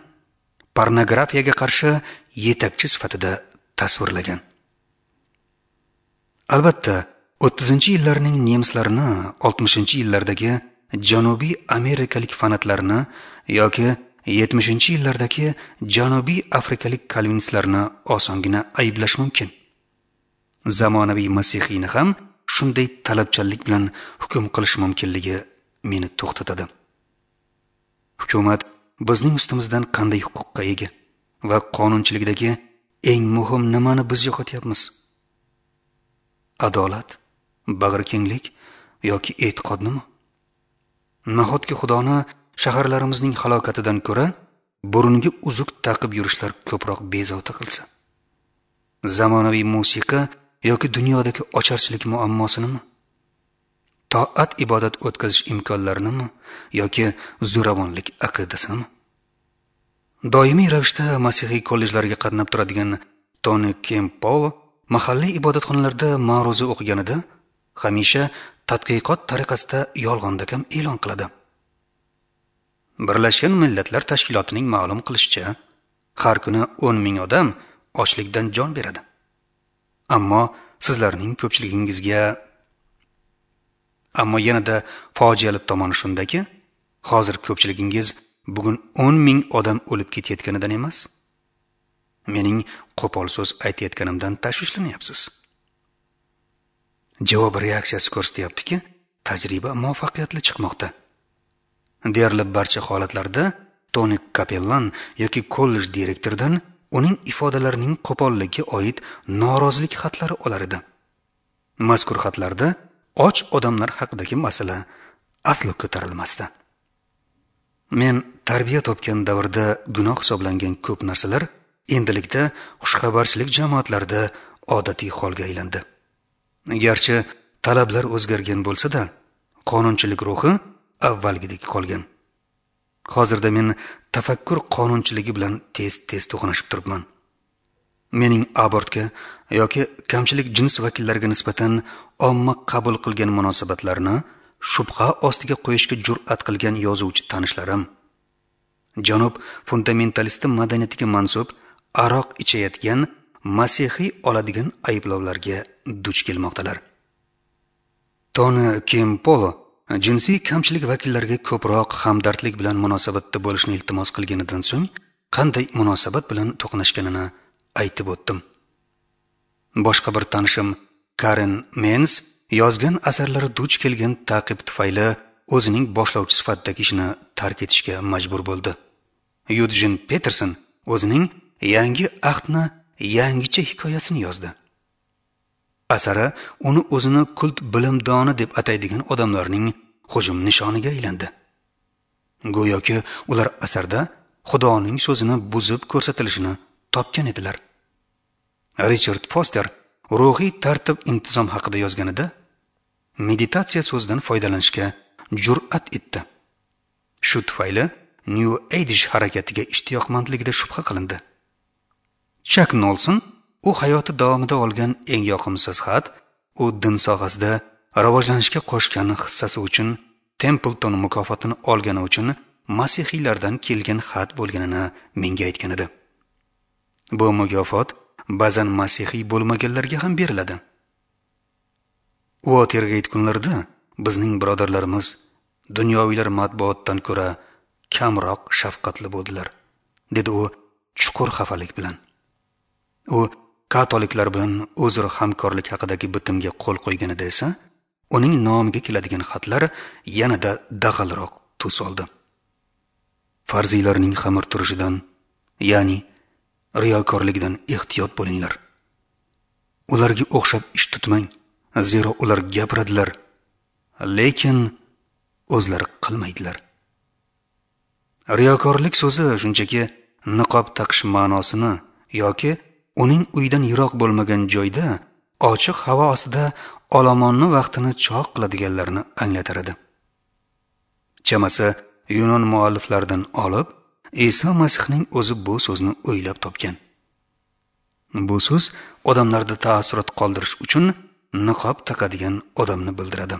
pornografiyaga qarshi yetakchi sifatida tasvirlagan. Albatta, 30-yillarning nemislarini, 60-yillardagi Janubiy amerikalik fanatlarni yoki 70-yillardagi Janubiy afrikalik kalvinistlarni osongina ayblash mumkin. Zamonaviy masihiyni ham shunday talabchanlik bilan hukm qilish mumkinligi meni to'xtatadi. Hukumat bizning ustimizdan qanday huquqqa ega va qonunchilikdagi eng muhim nimani biz yo'qotyapmiz? Adolat, bag'rikenglik yoki e'tiqodnimi? Nahotki Xudoni shaharlarimizning halokatidan ko'ra burunga uzuk taqib yurishlar ko'proq bezovta qilsa? Zamonaviy musiqa yoki dunyodagi ocharchilik muammosinimi? Toat ibodat o'tkazish imkonlarinimi yoki zo'ravonlik aqidasinimi? Doimiy ravishda masihiy kollejlarga qatnab turadigan Toni Kempolo mahalliy ibodatxonalarda ma'ruza o'qiganida hamisha tadqiqot tariqasida yolg'ondakam e'lon qiladi. Birlashgan Millatlar Tashkilotining ma'lum qilishicha, har kuni 10 ming odam ochlikdan jon beradi. Ammo sizlarning ko'pchiligingizga ammo yanada fojiali tomoni shundaki, hozir ko'pchiligingiz bugun 10 ming odam o'lib ketayotganidan emas, mening qo'pol so'z aytayotganimdan tashvishlanyapsiz. Javob reaksiyasi ko'rsatyaptiki, tajriba muvaffaqiyatli chiqmoqda. Deyarli barcha holatlarda Toni kapellan yoki kollej direktoridan uning ifodalarining qo'polligiga oid norozilik xatlari olar edi. Mazkur xatlarda och odamlar haqidagi masala aslo ko'tarilmasdi. Men tarbiya topgan davrda gunoh hisoblangan ko'p narsalar endilikda xushxabarchilik jamoatlarida odatiy holga aylandi. Garchi talablar o'zgargan bo'lsa-da, qonunchilik ruhi avvalgidek qolgan. Hozirda men tafakkur qonunchiligi bilan tez-tez to'qnashib turibman. Mening abortga yoki kamchilik jins vakillariga nisbatan omma qabul qilgan munosabatlarni shubha ostiga qo'yishga jur'at qilgan yozuvchi tanishlarim, janob fundamentalisti madaniyatiga mansub aroq ichayotgan masihiy oladigan ayblovlarga duch kelmoqdalar. Toni Kempolo jinsiy kamchilik vakillariga ko'proq hamdardlik bilan munosabatda bo'lishni iltimos qilganidan so'ng qanday munosabat bilan to'qnashganini aytib o'tdim. Boshqa bir tanishim Karen Mens yozgan asarlari duch kelgan ta'qib tufayli o'zining boshlovchi sifatidagi ishini tark etishga majbur bo'ldi. Yudjin Peterson o'zining yangi ahdni yangicha hikoyasini yozdi. Asari uni o'zini kult bilimdoni deb ataydigan odamlarning hujum nishoniga aylandi. Go'yoki ular asarda Xudoning so'zini buzib ko'rsatilishini topgan edilar. Richard Foster ruhiy tartib intizom haqida yozganida meditatsiya so'zidan foydalanishga jur'at etdi. Shu tufayli New Age harakatiga ishtiyoqmandligida shubha qilindi. Chuck Nolson u hayoti davomida olgan eng yoqimsiz xat, u din sohasida rivojlanishga qo'shgan hissasi uchun Templeton mukofotini olgani uchun masihiylardan kelgan xat bo'lganini menga aytgan edi. Bu mukofot ba'zan masihiy bo'lmaganlarga ham beriladi. Uotergeyt kunlarida bizning birodarlarimiz dunyoviylar matbuotdan ko'ra kamroq shafqatli bo'ldilar, dedi u chuqur xafalik bilan. U katoliklar bilan o'zaro hamkorlik haqidagi bitimga qo'l qo'yganida esa uning nomiga keladigan xatlar yanada dag'alroq tus oldi. Farziylarning xamir turishidan, ya'ni riyokorlikdan ehtiyot bo'linglar. Ularga o'xshab ish tutmang, zero ular gapiradilar, lekin o'zlari qilmaydilar. Riyokorlik so'zi shunchaki niqob taqish ma'nosini yoki uning uydan yiroq bo'lmagan joyda ochiq havo ostida olomonni vaqtini choq qiladiganlarni anglatar edi. Chamasi Yunon mualliflaridan olib, Iso Masihning o'zi bu so'zni o'ylab topgan. Bu so'z odamlarda taassurot qoldirish uchun niqob taqadigan odamni bildiradi.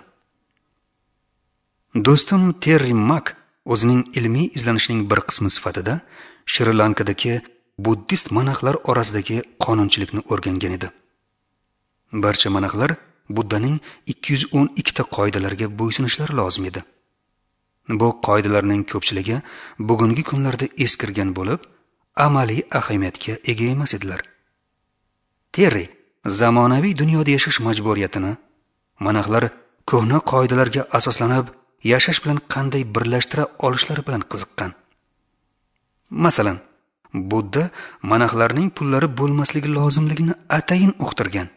Do'stim Terri Mak o'zining ilmiy izlanishining bir qismi sifatida Shri-Lankadagi buddist monaxlar orasidagi qonunchilikni o'rgangan edi. Barcha monaxlar Buddaning 212 ta qoidalariga bo'ysunishlari lozim edi. Bu qoidalarning ko'pchiligi bugungi kunlarda eskirgan bo'lib, amaliy ahamiyatga ega emas edilar. Terri zamonaviy dunyoda yashash majburiyatini monaxlar ko'hna qoidalarga asoslanib yashash bilan qanday birlashtira olishlari bilan qiziqqan. Masalan, Budda monaxlarning pullari bo'lmasligi lozimligini atayin uqtirgan.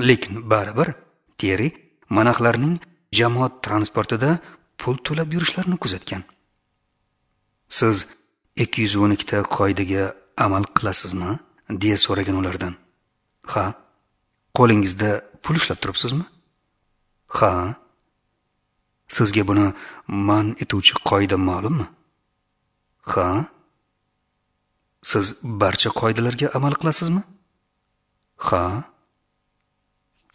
Lekin baribir Terri monaxlarning jamoat transportida pul to'lab yurishlarini kuzatgan. Siz 212 ta qoidaga amal qilasizmi? Deya so'ragan ulardan. Ha. Qo'lingizda pul ushlab turibsizmi? Ha. Sizga buni man etuvchi qoida ma'lummi? Ha. Siz barcha qoidalarga amal qilasizmi? Ha.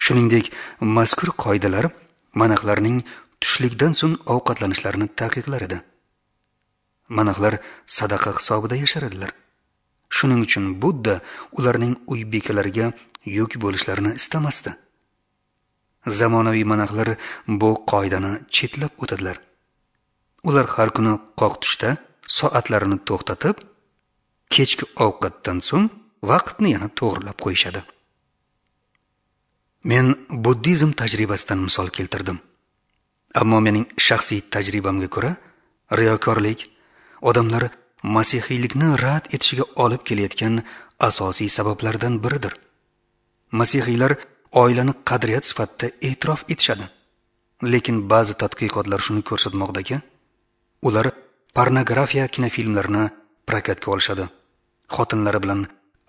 Shuningdek, mazkur qoidalar monaxlarning tushlikdan so'ng ovqatlanishlarini taqiqlar edi. Monaxlar sadaqa hisobida yashar edilar. Shuning uchun Budda ularning uy bekalariga yuk bo'lishlarini istamasdi. Zamonaviy monaxlar bu qoidani chetlab o'tadilar. Ular har kuni qoq tushda soatlarini to'xtatib, kechki ovqatdan so'ng vaqtni yana to'g'rilab qo'yishadi. Men buddizm tajribasidan misol keltirdim. Ammo mening shaxsiy tajribamga ko'ra, riyokorlik odamlar masihiylikni rad etishiga olib kelayotgan asosiy sabablardan biridir. Masihiylar oilani qadriyat sifatida e'tirof etishadi. Lekin ba'zi tadqiqotlar shuni ko'rsatmoqdaki, ular pornografiya kinofilmlarini prokatga olishadi, xotinlari bilan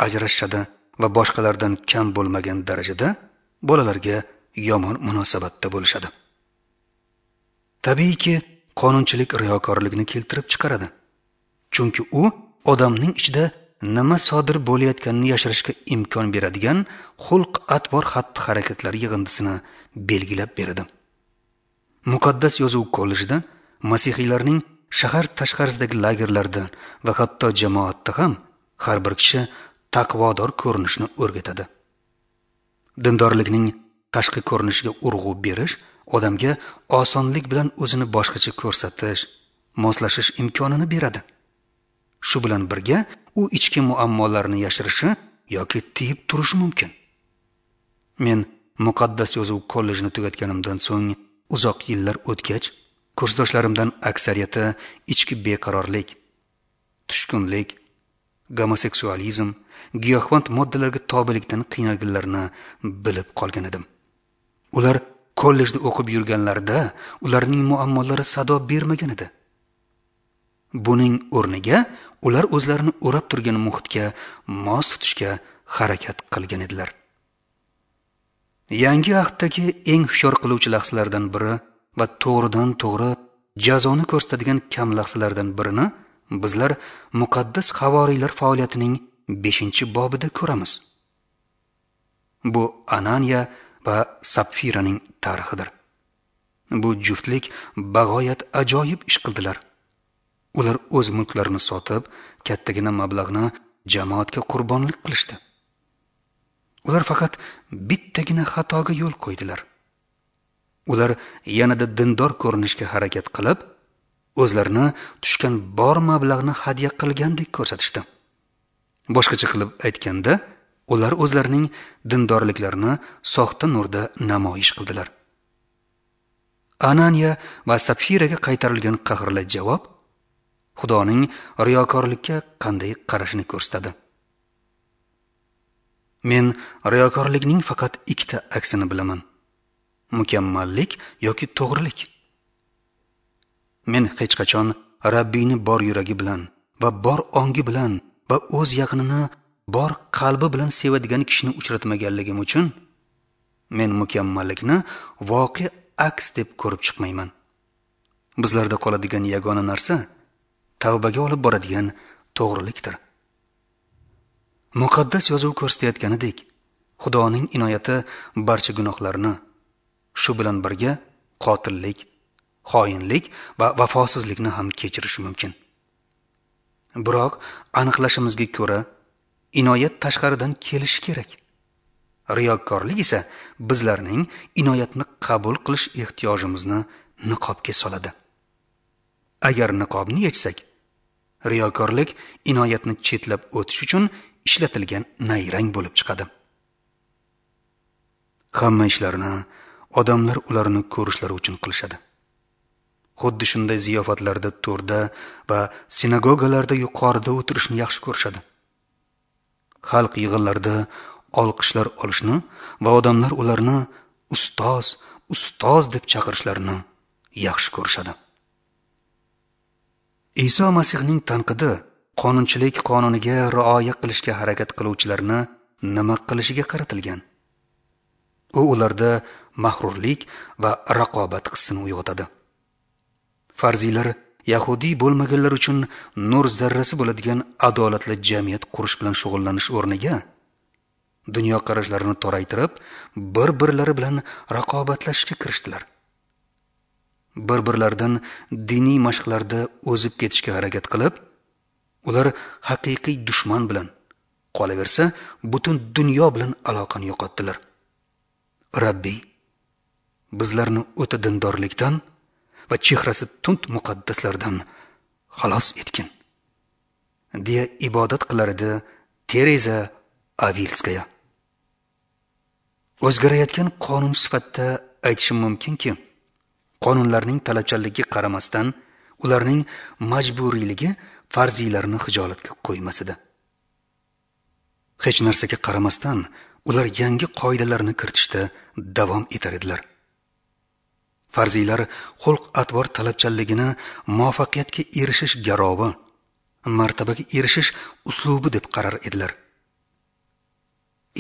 ajrashishadi va boshqalardan kam bo'lmagan darajada bolalarga yomon munosabatda bo'lishadi. Tabiiyki, qonunchilik riyokorlikni keltirib chiqaradi. Chunki u odamning ichida nima sodir bo'layotganini yashirishga imkon beradigan xulq-atvor xatti-harakatlar yig'indisini belgilab beradi. Muqaddas yozuv kollejida masihiylarning shahar tashqarisidagi lagerlarda va hatto jamoatda ham har bir kishi taqvodor ko'rinishni o'rgatadi. Dindorlikning tashqi ko'rinishiga urg'u berish odamga osonlik bilan o'zini boshqacha ko'rsatish, moslashish imkonini beradi. Shu bilan birga u ichki muammolarni yashirishi yoki tiyib turishi mumkin. Men muqaddas yozuv kollejini tugatganimdan so'ng uzoq yillar o'tgach, kursdoshlarimdan aksariyati ichki beqarorlik, tushkunlik, gomoseksualizm, giyohvand moddalarga tobelikdan qiynalganlarini bilib qolgan edim. Ular kollejda o'qib yurganlarida ularning muammolari sado bermagan edi. Buning o'rniga ular o'zlarini o'rab turgan muhitga mos tutishga harakat qilgan edilar. Yangi ahddagi eng hushyor qiluvchi lahzalardan biri va to'g'ridan to'g'ri jazoni ko'rsatadigan kam lahzalardan birini bizlar muqaddas havoriylar faoliyatining 5-bobida ko'ramiz. Bu Ananiya va Sapfiraning tarixidir. Bu juftlik bag'oyat ajoyib ish qildilar. Ular o'z mulklarini sotib, kattagina mablag'ni jamoatga qurbonlik qilishdi. Ular faqat bittagina xatoga yo'l qo'ydilar. Ular yanada dindor ko'rinishga harakat qilib, o'zlarini tushgan bor mablag'ni hadya qilgandek ko'rsatishdi. Boshqacha qilib aytganda, ular o'zlarining dindorliklarini soxta nurda namoyish qildilar. Ananiya va Sapfiraga qaytarilgan qahrli javob Xudoning riyokorlikka qanday qarashini ko'rsatadi. Men riyokorlikning faqat ikkita aksini bilaman: mukammallik yoki to'g'rilik. Men hech qachon Rabbiyni bor yuragi bilan va bor ongi bilan va o'z yaqinini bor qalbi bilan sevadigan kishini uchratmaganligim uchun men mukammallikni voqea aks deb ko'rib chiqmayman. Bizlarda qoladigan yagona narsa tavbaga olib boradigan to'g'rilikdir. Muqaddas yozuv ko'rsatayotganidek, Xudoning inoyati barcha gunohlarni, shu bilan birga qotillik, xoinlik va vafosizlikni ham kechirishi mumkin. Biroq aniqlashimizga ko'ra, inoyat tashqaridan kelishi kerak. Riyokorlik esa bizlarning inoyatni qabul qilish ehtiyojimizni niqobga soladi. Agar niqobni yechsak, riyokorlik inoyatni chetlab o'tish uchun ishlatilgan nayrang bo'lib chiqadi. Hamma ishlarni odamlar ularni ko'rishlari uchun qilishadi. Xuddi shunday ziyofatlarda to'rda va sinagogalarda yuqorida o'tirishni yaxshi ko'rishadi. Xalq yig'inlarida olqishlar olishni va odamlar ularni ustoz, ustoz deb chaqirishlarini yaxshi ko'rishadi. Iso Masihning tanqidi qonunchilik qonuniga rioya qilishga harakat qiluvchilarni nima qilishiga qaratilgan. U ularda mag'rurlik va raqobat hissini uyg'otadi. Farziylar yahudiy bo'lmaganlar uchun nur zarrasi bo'ladigan adolatli jamiyat qurish bilan shug'ullanish o'rniga dunyoqarashlarini toraytirib, bir-birlari bilan raqobatlashishga kirishdilar. Bir-birlaridan diniy mashqlarda o'zib ketishga harakat qilib, ular haqiqiy dushman bilan, qolaversa, butun dunyo bilan aloqani yo'qotdilar. Rabbiy, bizlarni o'ta dindorlikdan va chehrasi tund muqaddaslardan xalos etgin, deya ibodat qilar edi Tereza Avilskaya. O'zgarayotgan qonun sifatida aytishim mumkinki, qonunlarning talabchanligiga qaramasdan, ularning majburiyligi farziylarni xijolatga qo'ymas edi. Hech narsaga qaramasdan, ular yangi qoidalarni kiritishda davom etar edilar. Farziylar xulq-atvor talabchanligini muvaffaqiyatga erishish garovi, martabaga erishish uslubi deb qarar edilar.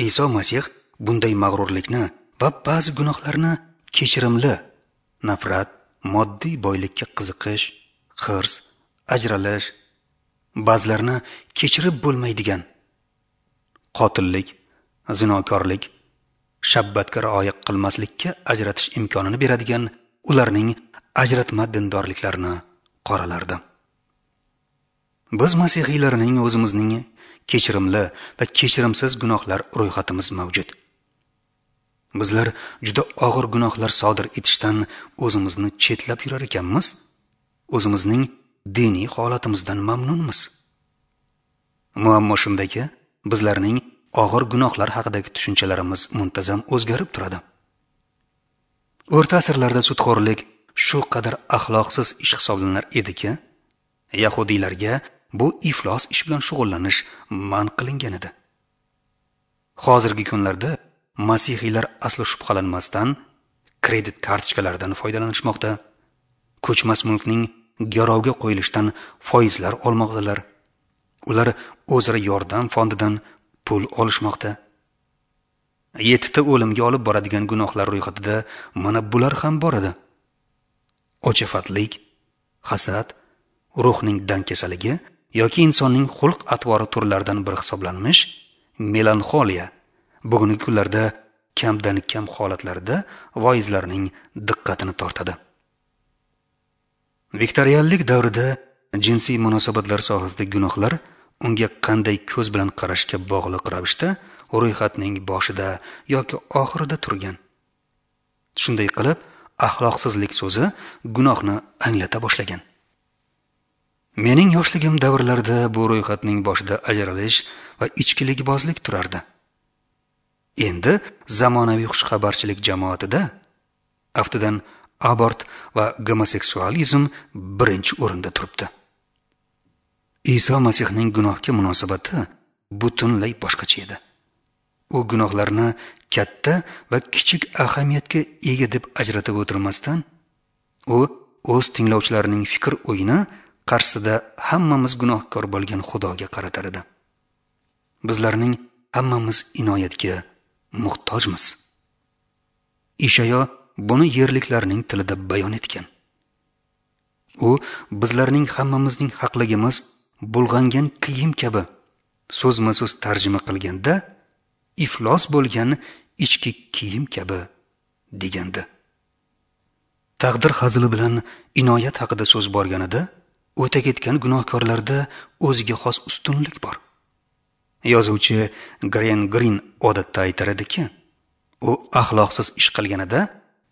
Iso Masih bunday mag'rurlikni va ba'zi gunohlarni kechirimli, nafrat, moddiy boylikka qiziqish, hirs, ajralish, ba'zilarni kechirib bo'lmaydigan qotillik, zinokorlik, shabbatga rioya qilmaslikka ajratish imkonini beradigan ularning ajratma dindorliklarini qoralardi. Biz masihiylarning o'zimizning kechirimli va kechirimsiz gunohlar ro'yxatimiz mavjud. Bizlar juda og'ir gunohlar sodir etishdan o'zimizni chetlab yurar ekanmiz, o'zimizning diniy holatimizdan mamnunmiz. Muammo shundaki, bizlarning og'ir gunohlar haqidagi tushunchalarimiz muntazam o'zgarib turadi. O'rta asrlarda sudxo'rlik shu qadar axloqsiz ish hisoblanar ediki, yahudiylarga bu iflos ish bilan shug'ullanish man qilingan edi. Hozirgi kunlarda masihiylar aslo shubhalanmasdan kredit kartochkalaridan foydalanishmoqda, ko'chmas mulkning garovga qo'yilishidan foizlar olmoqdalar. Ular o'zaro yordam fondidan pul olishmoqda. 7 ta o'limga olib boradigan gunohlar ro'yxatida mana bular ham bor edi: ochafatlik, hasad, ruhning dangkasaligi yoki insonning xulq-atvori turlaridan biri hisoblanmish melanxoliya bugungi kunlarda kamdan kam holatlarda voizlarning diqqatini tortadi. Viktorianlik davrida jinsiy munosabatlar sohasidagi gunohlar unga qanday ko'z bilan qarashga bog'liq ravishda ro'yxatning boshida yoki oxirida turgan. Shunday qilib, axloqsizlik so'zi gunohni anglata boshlagan. Mening yoshligim davrlarida bu ro'yxatning boshida ajralish va ichkilikbozlik turardi. Endi zamonaviy xushxabarchilik jamoatida aftidan abort va gomoseksualizm birinchi o'rinda turibdi. Iso Masihning gunohga munosabati butunlay boshqacha edi. U gunohlarni katta va kichik ahamiyatga ega deb ajratib o'tirmasdan, u o'z tinglovchilarining fikr o'yini qarshisida hammamiz gunohkor bo'lgan Xudoga qaratar edi. Bizlarning hammamiz inoyatga muhtojmiz. Ishayo buni yerliklarning tilida bayon etgan. U bizlarning hammamizning haqligimiz bulg'angan kiyim kabi so'zma-so'z tarjima qilganda iflos bo'lgan ichki kiyim kabi degandi. Taqdir hazili bilan inoyat haqida so'z borganida o'ta ketgan gunohkorlarda o'ziga xos ustunlik bor. Yozuvchi Gren Grin odatda aytar ediki, u axloqsiz ish qilganida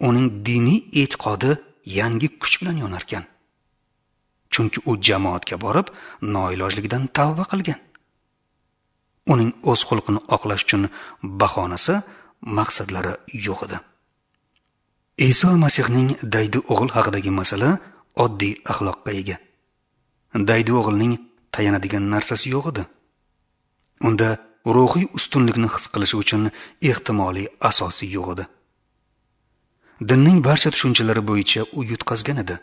uning diniy e'tiqodi yangi kuch bilan yonarkan. Chunki u jamoatga borib noilojligidan tavba qilgan. Uning o'z xulqini oqlash uchun bahonasi maqsadlari yo'q edi. Iso Masihning daydi o'g'il haqidagi masala oddiy axloqqa ega. Daydi o'g'ilning tayanadigan narsasi yo'q edi. Unda ruhiy ustunlikni his qilishi uchun ehtimoliy asosi yo'q edi. Dinning barcha tushunchalari bo'yicha u yutqazgan edi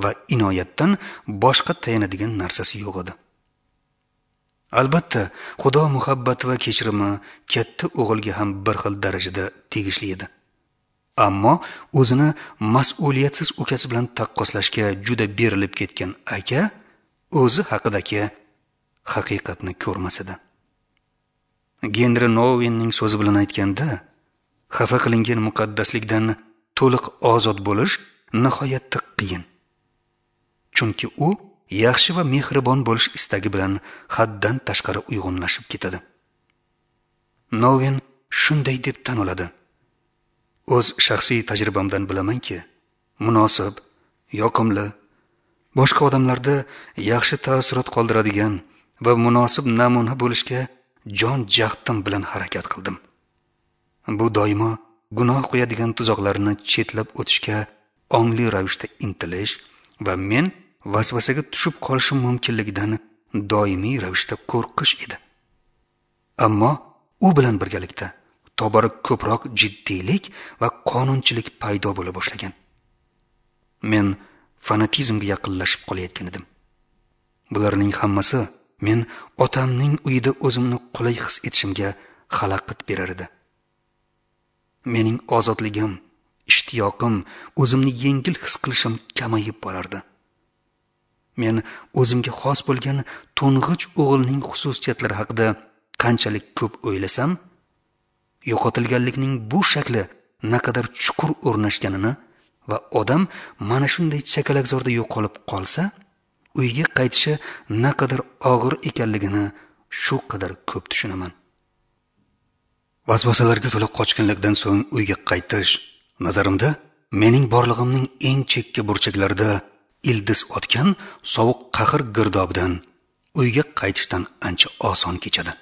va inoyatdan boshqa tayanadigan narsasi yo'q edi. Albatta, Xudo muhabbati va kechirimi katta o'g'ilga ham bir xil darajada tegishli edi. Ammo o'zini mas'uliyatsiz ukasi bilan taqqoslashga juda berilib ketgan aka o'zi haqidagi haqiqatni ko'rmas edi. Genri Nouwenning so'zi bilan aytganda, xafa qilingan muqaddaslikdan to'liq ozod bo'lish nihoyatda qiyin. Chunki u yaxshi va mehribon bo'lish istagi bilan haddan tashqari uyg'unlashib ketadi. Nouwen shunday deb tan oladi: o'z shaxsiy tajribamdan bilamanki, munosib, yoqimli, boshqa odamlarda yaxshi taassurot qoldiradigan va munosib namuna bo'lishga jon jahdim bilan harakat qildim. Bu doimo gunoh qo'yadigan tuzoqlarni chetlab o'tishga ongli ravishda intilish va men vasvasaga tushib qolishim mumkinligidan doimiy ravishda qo'rqish edi. Ammo u bilan birgalikda tobora ko'proq jiddiylik va qonunchilik paydo bo'la boshlagan. Men fanatizmga yaqinlashib qolayotgan edim. Bularning hammasi men otamning uyida o'zimni qulay his etishimga xalaqit berar edi. Mening ozodligim, ishtiyoqim, o'zimni yengil his qilishim kamayib borardi. Men o'zimga xos bo'lgan to'ng'ich o'g'ilning xususiyatlari haqida qanchalik ko'p o'ylasam, yo'qotilganlikning bu shakli naqadar chuqur o'rnashganini va odam mana shunday chakalakzorda yo'qolib qolsa, uyga qaytishi naqadar og'ir ekanligini shu qadar ko'p tushunaman. Vasvasalarga to'la qochqinlikdan so'ng uyga qaytish nazarimda mening borlig'imning eng chekka burchaklarida ildiz otgan sovuq qahr girdobidan uyga qaytishdan ancha oson kechadi.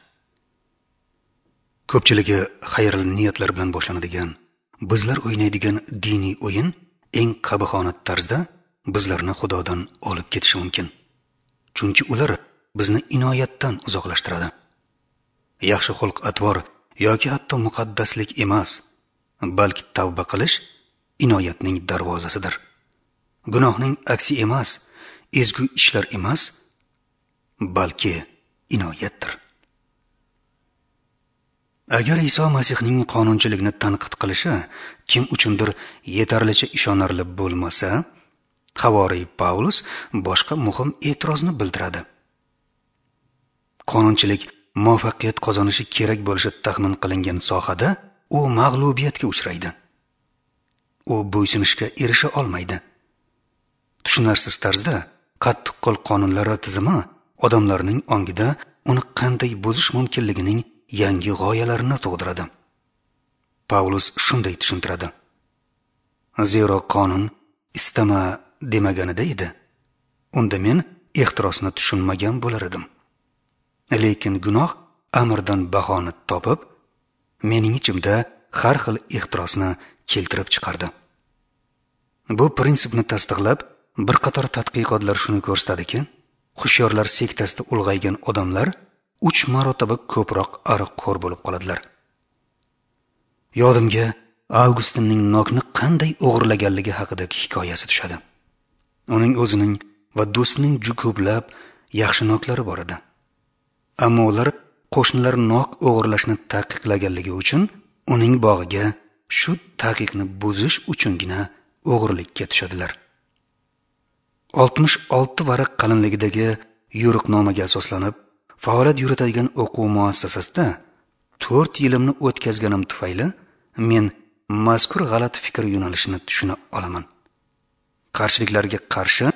Ko'pchiligi xayrli niyatlar bilan boshlanadigan, bizlar o'ynaydigan diniy o'yin eng qabihona tarzda bizlarni Xudodan olib ketishi mumkin. Chunki ular bizni inoyatdan uzoqlashtiradi. Yaxshi xulq-atvor yoki hatto muqaddaslik emas, balki tavba qilish inoyatning darvozasidir. Gunohning aksi emas, ezgu ishlar emas, balki inoyatdir. Agar Iso Masihning qonunchilikni tanqid qilishi kim uchundir yetarlicha ishonarli bo'lmasa, Havoriy Pavlus boshqa muhim e'tirozni bildiradi. Qonunchilik muvaffaqiyat qozonishi kerak bo'lishi taxmin qilingan sohada u mag'lubiyatga uchraydi. U bo'ysunishga erisha olmaydi. Tushunarsiz tarzda qattiqqo'l qonunlar tizimi odamlarning ongida uni qanday buzish mumkinligining yangi g'oyalarini tug'diradi. Pavlus shunday tushuntiradi: zero qonun istama demaganida edi, unda men ehtirosni tushunmagan bo'lar edim. Lekin gunoh amrdan bahona topib, mening ichimda har xil ehtirosni keltirib chiqardi. Bu prinsipni tasdiqlab, bir qator tadqiqotlar shuni ko'rsatadiki, hushyorlar sektasida ulg'aygan odamlar 3 marotaba ko'proq aroqxo'r bo'lib qoladilar. Yodimga Avgustinning nokni qanday o'g'irlaganligi haqidagi hikoyasi tushadi. Uning o'zining va do'stining juda ko'plab yaxshi noklari bor edi. Ammo ular qo'shnilar nok o'g'irlashni taqiqlaganligi uchun uning bog'iga shu taqiqni buzish uchungina o'g'irlikka tushadilar. 66 varaq qalinligidagi yo'riqnomaga asoslanib faoliyat yuritadigan o'quv muassasasida 4 yilimni o'tkazganim tufayli men mazkur g'alati fikr yo'nalishini tushuna olaman. Qarshiliklarga qarshi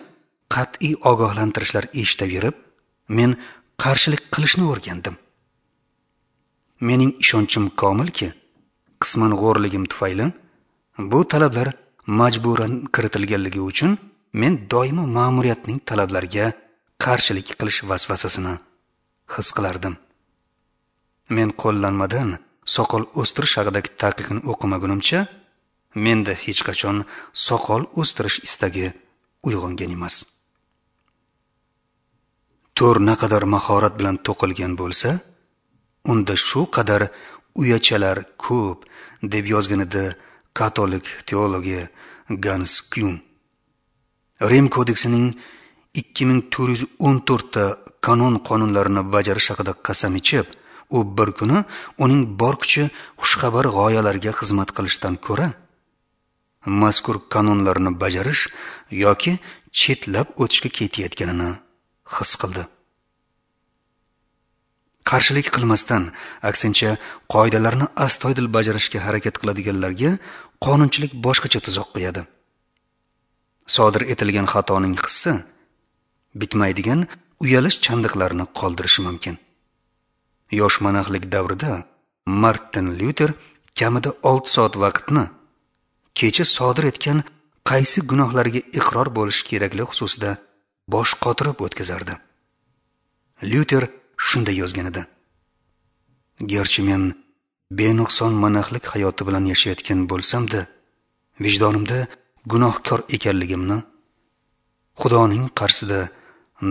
qat'iy ogohlantirishlar eshitaverib, men qarshilik qilishni o'rgandim. Mening ishonchim komilki, qisman g'o'rligim tufayli bu talablar majburan kiritilganligi uchun men doimo ma'muriyatning talablariga qarshilik qilish vasvasasini his qilardim. Men qo'llanmadan soqol o'stirish haqidagi taqiqni o'qimagunimcha menda hech qachon soqol o'stirish istagi uyg'ongan emas. To'r naqadar mahorat bilan to'qilgan bo'lsa, unda shu qadar uyachalar ko'p, deb yozgan edi katolik teologi Gans Kyun. Rim kodeksining 2414 ta kanon qonunlarini bajarish haqida qasam ichib, u bir kuni uning bor kuchi xushxabar g'oyalarga xizmat qilishdan ko'ra mazkur kanonlarni bajarish yoki chetlab o'tishga ketayotganini his qildi. Qarshilik qilmasdan, aksincha qoidalarni astoydil bajarishga harakat qiladiganlarga qonunchilik boshqacha tuzoq qo'yadi. Sodir etilgan xatoning hissi bitmaydigan uyalish chandiqlarini qoldirishi mumkin. Yosh monaxlik davrida Martin Lyuter kamida 6 soat vaqtni kecha sodir etgan qaysi gunohlarga iqror bo'lish kerakli xususida bosh qotirib o'tkazardi. Lyuter shunday yozgan edi: Garchi men benuqson monaxlik hayoti bilan yashayotgan bo'lsam-da, vijdonimda gunohkor ekanligimni, Xudoning qarshisida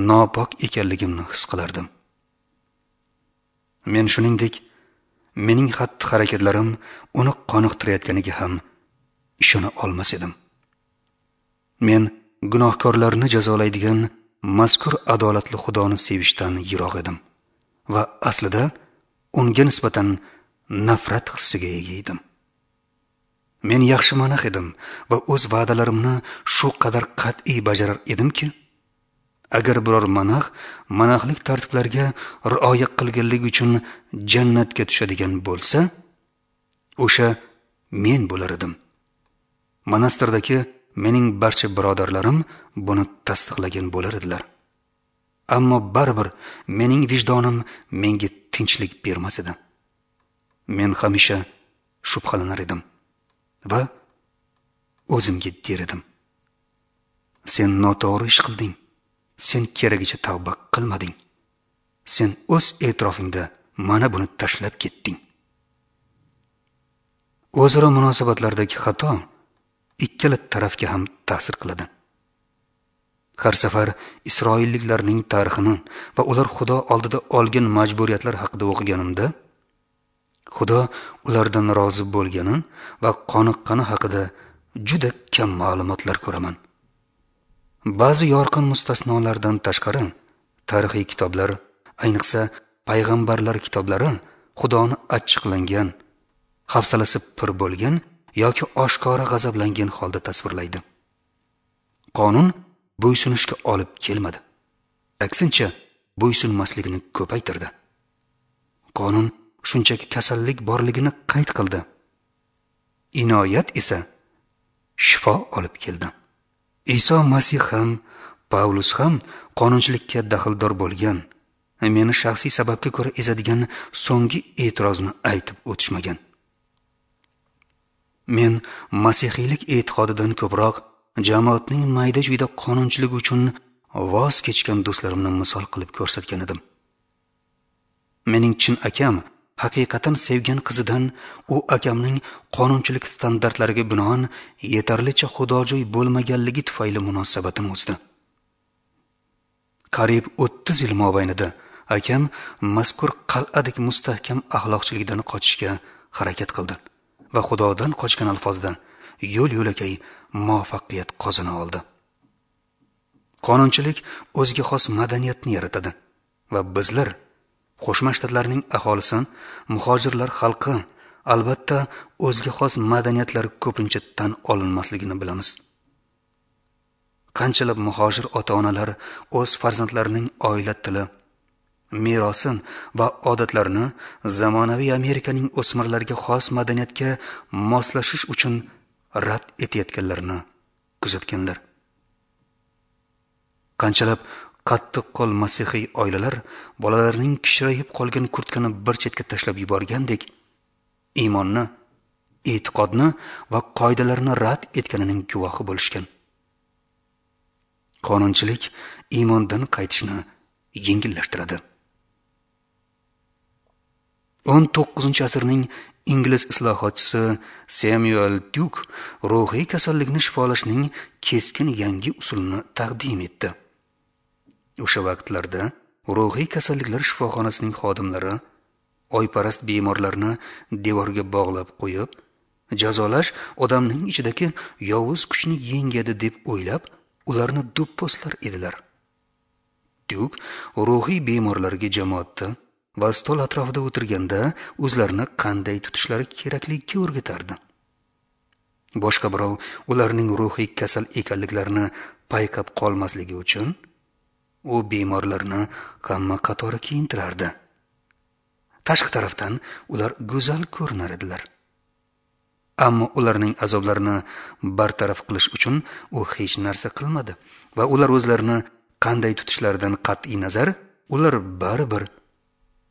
nopok ekanligimni his qilardim. Men shuningdek, mening xatti-harakatlarim uni qoniqtirayotganiga ham ishona olmas edim. Men gunohkorlarni jazolaydigan mazkur adolatli Xudoni sevishdan yiroq edim va aslida unga nisbatan nafrat hissiga ega edim. Men yaxshi monax edim va o'z va'dalarimni shu qadar qat'iy bajarar edimki, agar biror monax monaxlik tartiblariga rioya qilganligi uchun jannatga tushadigan bo'lsa, o'sha men bo'lar edim. Monastirdagi mening barcha birodarlarim buni tasdiqlagan bo'lar edilar. Ammo baribir mening vijdonim menga tinchlik bermas edi. Men hamisha shubhalanar edim va o'zimga der edim: Sen noto'g'ri ish qilding. Sen keragicha tavba qilmading. Sen o'z e'tirofingda mana buni tashlab ketding. O'zaro munosabatlardagi xato ikkala tarafga ham ta'sir qiladi. Har safar Isroilliklarning tarixini va ular Xudo oldida olgan majburiyatlar haqida o'qiganimda, Xudo ulardan rozi bo'lgani va qoniqqani haqida juda kam ma'lumotlar ko'raman. Ba'zi yorqin mustasnolardan tashqari, tarixiy kitoblar, ayniqsa payg'ambarlar kitoblari Xudoni achchiqlangan, hafsalasi pir bo'lgan yoki oshkora g'azablangan holda tasvirlaydi. Qonun bo'ysunishga olib kelmadi. Aksincha, bo'ysunmaslikni ko'paytirdi. Qonun shunchaki kasallik borligini qayd qildi. Inoyat esa shifo olib keldi. Iso Masih ham, Pavlus ham qonunchilikka daxldor bo'lgan, meni shaxsiy sababga ko'ra ezadigan so'nggi e'tirozni aytib o'tishmagan. Men masihiylik e'tiqodidan ko'proq jamoatning mayda-chuyda qonunchiligi uchun voz kechgan do'stlarimni misol qilib ko'rsatgan edim. Mening chin akam haqiqatan sevgan qizidan u akamning qonunchilik standartlariga binoan yetarlicha xudojo'y bo'lmaganligi tufayli munosabatini uzdi. Qariyb 30 yil mobaynida akam mazkur qal'adek mustahkam axloqchilikdan qochishga harakat qildi va Xudodan qochgan alfozda yo'l-yo'lakay muvaffaqiyat qozona oldi. Qonunchilik o'ziga xos madaniyatni yaratadi va bizlar, Qo'shma Shtatlarning aholisi, muhojirlar xalqi, albatta o'ziga xos madaniyatlar ko'pincha tan olinmasligini bilamiz. Qanchalab muhojir ota-onalar o'z farzandlarining oila tili, merosi va odatlarini zamonaviy Amerikaning o'smirlarga xos madaniyatga moslashish uchun rad etayotganlarini kuzatganlar. Qanchalab qattiqqo'l masihiy oilalar bolalarining kichrayib qolgan kurtkani bir chetga tashlab yuborgandek, iymonni, e'tiqodni va qoidalarni rad etganining guvohi bo'lishgan. Qonunchilik iymondan qaytishni yengillashtiradi. 19-asrning ingliz islohotchisi Samuel Tuke ruhiy kasallikni shifolashning keskin yangi usulini taqdim etdi. O'sha vaqtlarda ruhiy kasalliklar shifoxonasining xodimlari oyparast bemorlarni devorga bog'lab qo'yib, jazolash odamning ichidagi yovuz kuchni yengadi deb o'ylab, ularni do'pposlar edilar. Tuke ruhiy bemorlarga jamoatda va stol atrofida o'tirganda o'zlarini qanday tutishlari kerakligiga o'rgatardi. Boshqa birov ularning ruhiy kasal ekanliklarini payqab qolmasligi uchun u bemorlarni hamma qatori kiyintirardi. Tashqi tarafdan ular go'zal ko'rinar edilar. Ammo ularning azoblarini bartaraf qilish uchun u hech narsa qilmadi va ular o'zlarini qanday tutishlaridan qat'iy nazar ular baribir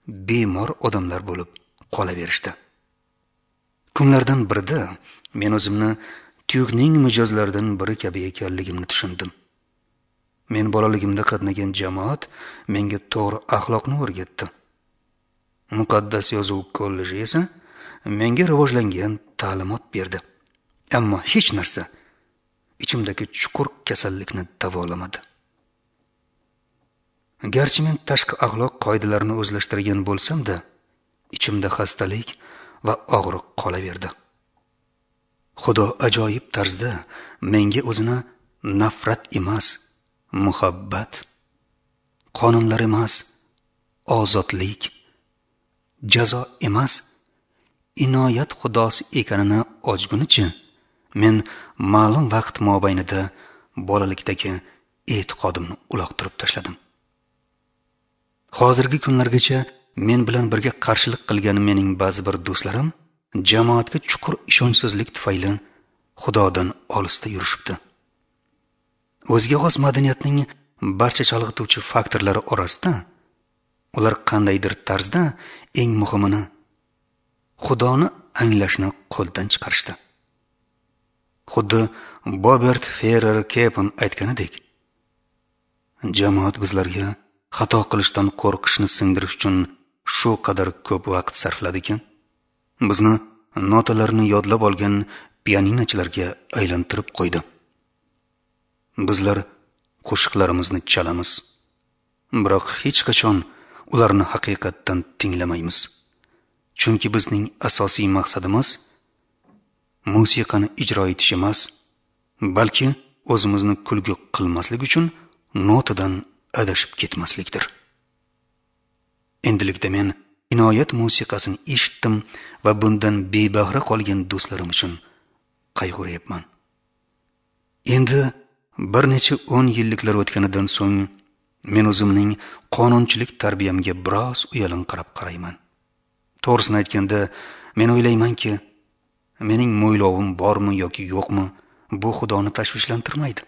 bemor odamlar bo'lib qolaverishdi. Kunlardan birida men o'zimni Tukening mijozlaridan biri kabi ekanligimni tushundim. Men bolaligimda qatnagan jamoat menga to'g'ri axloqni o'rgatdi. Muqaddas yozuv kolleji esa menga rivojlangan ta'limot berdi. Ammo hech narsa ichimdagi chuqur kasallikni davolamadi. Garchi men tashqi axloq qoidalarini o'zlashtirgan bo'lsam-da, ichimda xastalik va og'riq qolaverdi. Xudo ajoyib tarzda menga o'zini nafrat emas, muhabbat, qonunlar emas, ozodlik, jazo emas, inoyat xudosi ekanini ochgunicha men ma'lum vaqt mobaynida bolalikdagi e'tiqodimni uloqtirib tashladim. Hozirgi kunlargacha men bilan birga qarshilik qilgan mening ba'zi bir do'stlarim jamoatga chuqur ishonchsizlik tufayli Xudodan olisda yurishibdi. O'ziga xos madaniyatning barcha chalg'ituvchi faktorlari orasida ular qandaydir tarzda eng muhimini Xudoni anglashni qo'ldan chiqarishdi. Xuddi Robert Ferrer Kepen aytganidek, jamoat bizlarga xato qilishdan qo'rqishni singdirish uchun shu qadar ko'p vaqt sarfladiki, bizni notalarni yodlab olgan pianinochilarga aylantirib qo'ydi. Bizlar qo'shiqlarimizni chalamiz, biroq hech qachon ularni haqiqatdan tinglamaymiz. Chunki bizning asosiy maqsadimiz musiqani ijro etish emas, balki o'zimizni kulgi qilmaslik uchun notadan adashib ketmaslikdir. Endilikda men inoyat musiqasini eshitdim va bundan bebahra qolgan do'stlarim uchun qayg'uryapman. Endi bir necha 10 yilliklar o'tganidan so'ng men o'zimning qonunchilik tarbiyamga biroz uyalinqirab qarayman. To'g'risini aytganda, men o'ylaymanki, mening mo'ylovim bormi yoki yo'qmi, bu Xudoni tashvishlantirmaydi.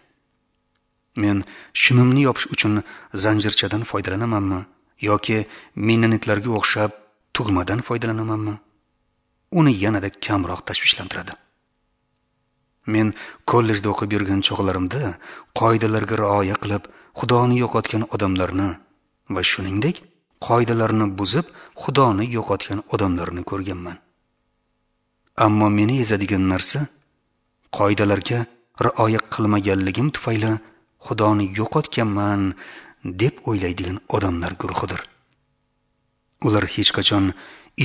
Men shimimni yopish uchun zanjirchadan foydalanamanmi yoki mennonitlarga o'xshab tugmadan foydalanamanmi, uni yanada kamroq tashvishlantiradi. Men kollejda o'qib yurgan chog'larimda qoidalarga rioya qilib Xudoni yo'qotgan odamlarni va shuningdek qoidalarni buzib Xudoni yo'qotgan odamlarni ko'rganman. Ammo meni ezadigan narsa qoidalarga rioya qilmaganligim tufayli Xudoni yo'qotganman deb o'ylaydigan odamlar guruhidir. Ular hech qachon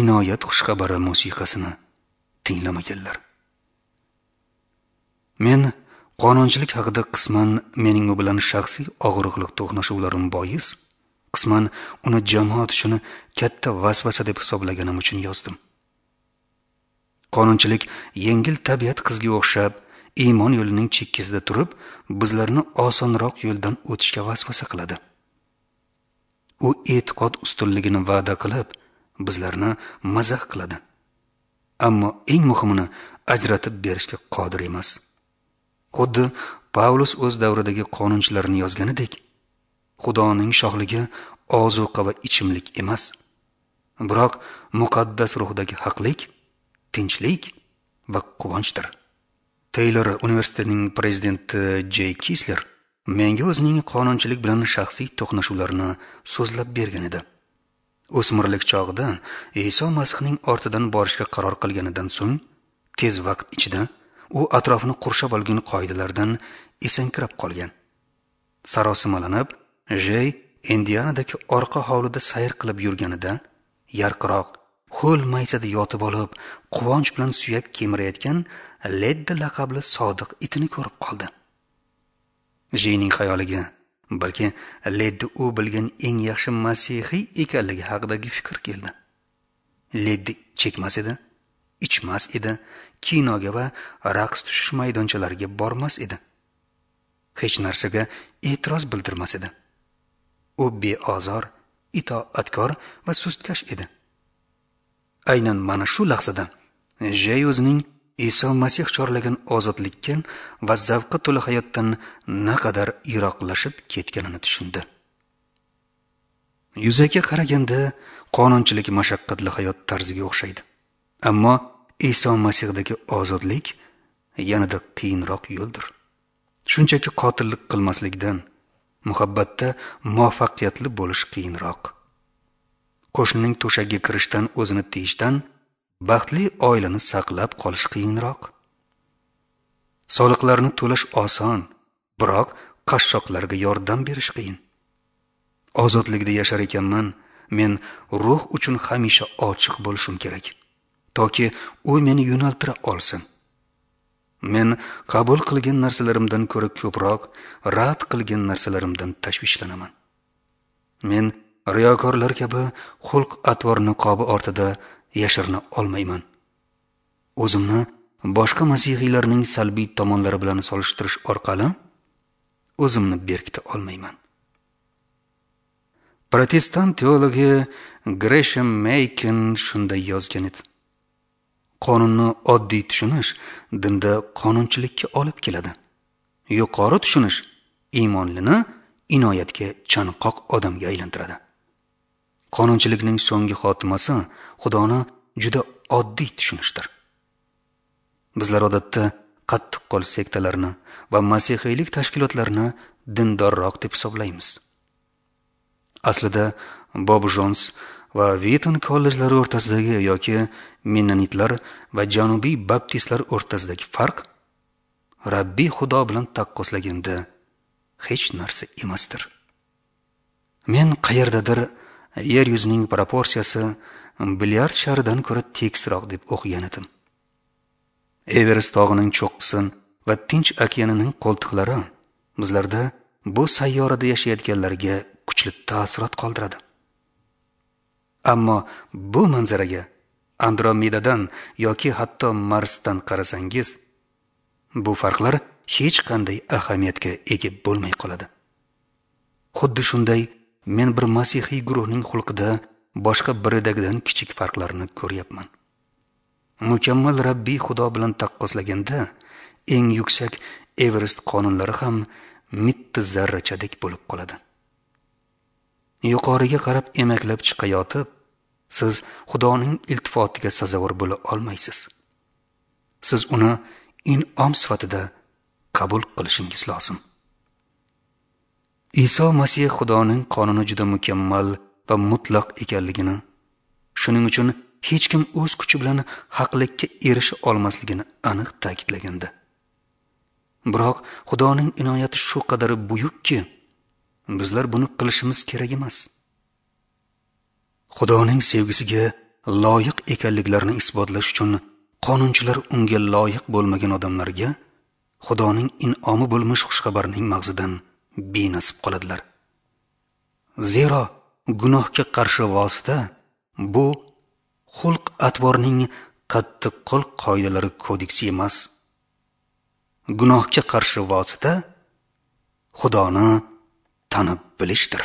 inoyat xushxabari musiqasini tinglamaganlar. Men qonunchilik haqida qisman mening u bilan shaxsiy og'riqliq to'qnashuvlarim bois, qisman uni jamoat uchun katta vasvasa deb hisoblaganim uchun yozdim. Qonunchilik yengil tabiat qizga o'xshab iymon yo'lining chekkasida turib, bizlarni osonroq yo'ldan o'tishga vasvasa qiladi. U e'tiqod ustunligini va'da qilib, bizlarni mazax qiladi. Ammo eng muhimini ajratib berishga qodir emas. Xuddi Pavlus o'z davridagi qonunchilarni yozganidek, Xudoning shohligi ozuqa va ichimlik emas, biroq muqaddas ruhdagi haqlik, tinchlik va quvonchdir. Taylor universitetining prezidenti J. Kisler menga o'zining qonunchilik bilan shaxsiy to'qnashuvlarini so'zlab bergan edi. O'smirlik chog'ida Iso Masihning ortidan borishga qaror qilganidan so'ng tez vaqt ichida u atrofini qurshab olgan qoidalardan esankirab qolgan. Sarosimalanib, Jey Indianadagi orqa hovlida sayr qilib yurganida yarqiroq ho'l maysada yotib olib, quvonch bilan suyak kemirayotgan Leddi laqabli sodiq itini ko'rib qoldi. Jeyning xayoliga balki Leddi u bilgan eng yaxshi masihiy ekanligi haqidagi fikr keldi. Leddi chekmas edi, ichmas edi, kinoga va raqs tushish maydonchalariga bormas edi. Hech narsaga e'tiroz bildirmas edi. U beozor, itoatkor va sustkash edi. Aynan mana shu lahzada Jey o'zining Iso Masih chorlagan ozodlikka va zavqqa to'la hayotdan naqadar yiroqlashib ketganini tushundi. Yuzaga qaraganda qonunchilik mashaqqatli hayot tarziga o'xshaydi. Ammo Iso Masihdagi ozodlik yanada qiyinroq yo'ldir. Shunchaki qotillik qilmaslikdan muhabbatda muvaffaqiyatli bo'lish qiyinroq. Qo'shnining to'shagiga kirishdan o'zini tiyishdan baxtli oilani saqlab qolish qiyinroq. Soliqlarni to'lash oson, biroq qashshoqlarga yordam berish qiyin. Ozodlikda yashar ekanman, men ruh uchun hamisha ochiq bo'lishim kerak, toki u meni yo'naltira olsin. Men qabul qilgan narsalarimdan ko'ra ko'proq rad qilgan narsalarimdan tashvishlanaman. Men riyokorlar kabi xulq-atvor niqobi ortida yashirina olmayman. O'zimni boshqa masihiylarning salbiy tomonlari bilan solishtirish orqali o'zimni berkita olmayman. Protestant teologi Gresham Machen shunday yozgan edi: qonunni oddiy tushunish dinda qonunchilikka olib keladi. Yuqori tushunish iymonlini inoyatga chanqoq odamga aylantiradi. Qonunchilikning so'nggi xotimasi Xudoni juda oddiy tushunishdir. Bizlar odatda qattiqqo'l sektalarni va masihiylik tashkilotlarini dindorroq deb hisoblaymiz. Aslida Bob Jons va Wheaton kollejlari o'rtasidagi yoki Mennonitlar va Janubiy baptistlar o'rtasidagi farq Rabbiy Xudo bilan taqqoslaganda hech narsa emasdir. Men qayerdadir yer yuzining proporsiyasi bilyard sharidan ko'ra tekisroq deb o'qigan edim. Everest tog'ining cho'qqisi va Tinch okeanining qo'ltiqlari bizlarda bu sayyorada yashayotganlarga kuchli taassurot qoldiradi. Ammo bu manzaraga Andromedadan yoki hatto Marsdan qarasangiz, bu farqlar hech qanday ahamiyatga ega bo'lmay qoladi. Xuddi shunday men bir masihiy guruhning xulqida boshqa biridagidan kichik farqlarni ko'ryapman. Mukammal Rabbiy Xudo bilan taqqoslaganda eng yuksak Everest qonunlari ham mitti zarrachadek bo'lib qoladi. Yuqoriga qarab emaklab chiqayotib, siz Xudoning iltifotiga sazovor bo'la olmaysiz. Siz uni in'om sifatida qabul qilishingiz lozim. Iso Masih Xudoning qonuni juda mukammal va mutlaq ekanligini, shuning uchun hech kim o'z kuchi bilan haqlikka erisha olmasligini aniq ta'kidlagandi. Biroq Xudoning inoyati shu qadar buyukki, bizlar buni qilishimiz kerak emas. Xudoning sevgisiga loyiq ekanliklarini isbotlash uchun qonunchilar unga loyiq bo'lmagan odamlarga Xudoning in'omi bo'lmish xushxabarning mag'zidan benasib qoladilar. Zero gunohga qarshi vosita bu xulq-atvorning qattiqqo'l qoidalari kodeksi emas. Gunohga qarshi vosita Xudoni tanib bilishdir.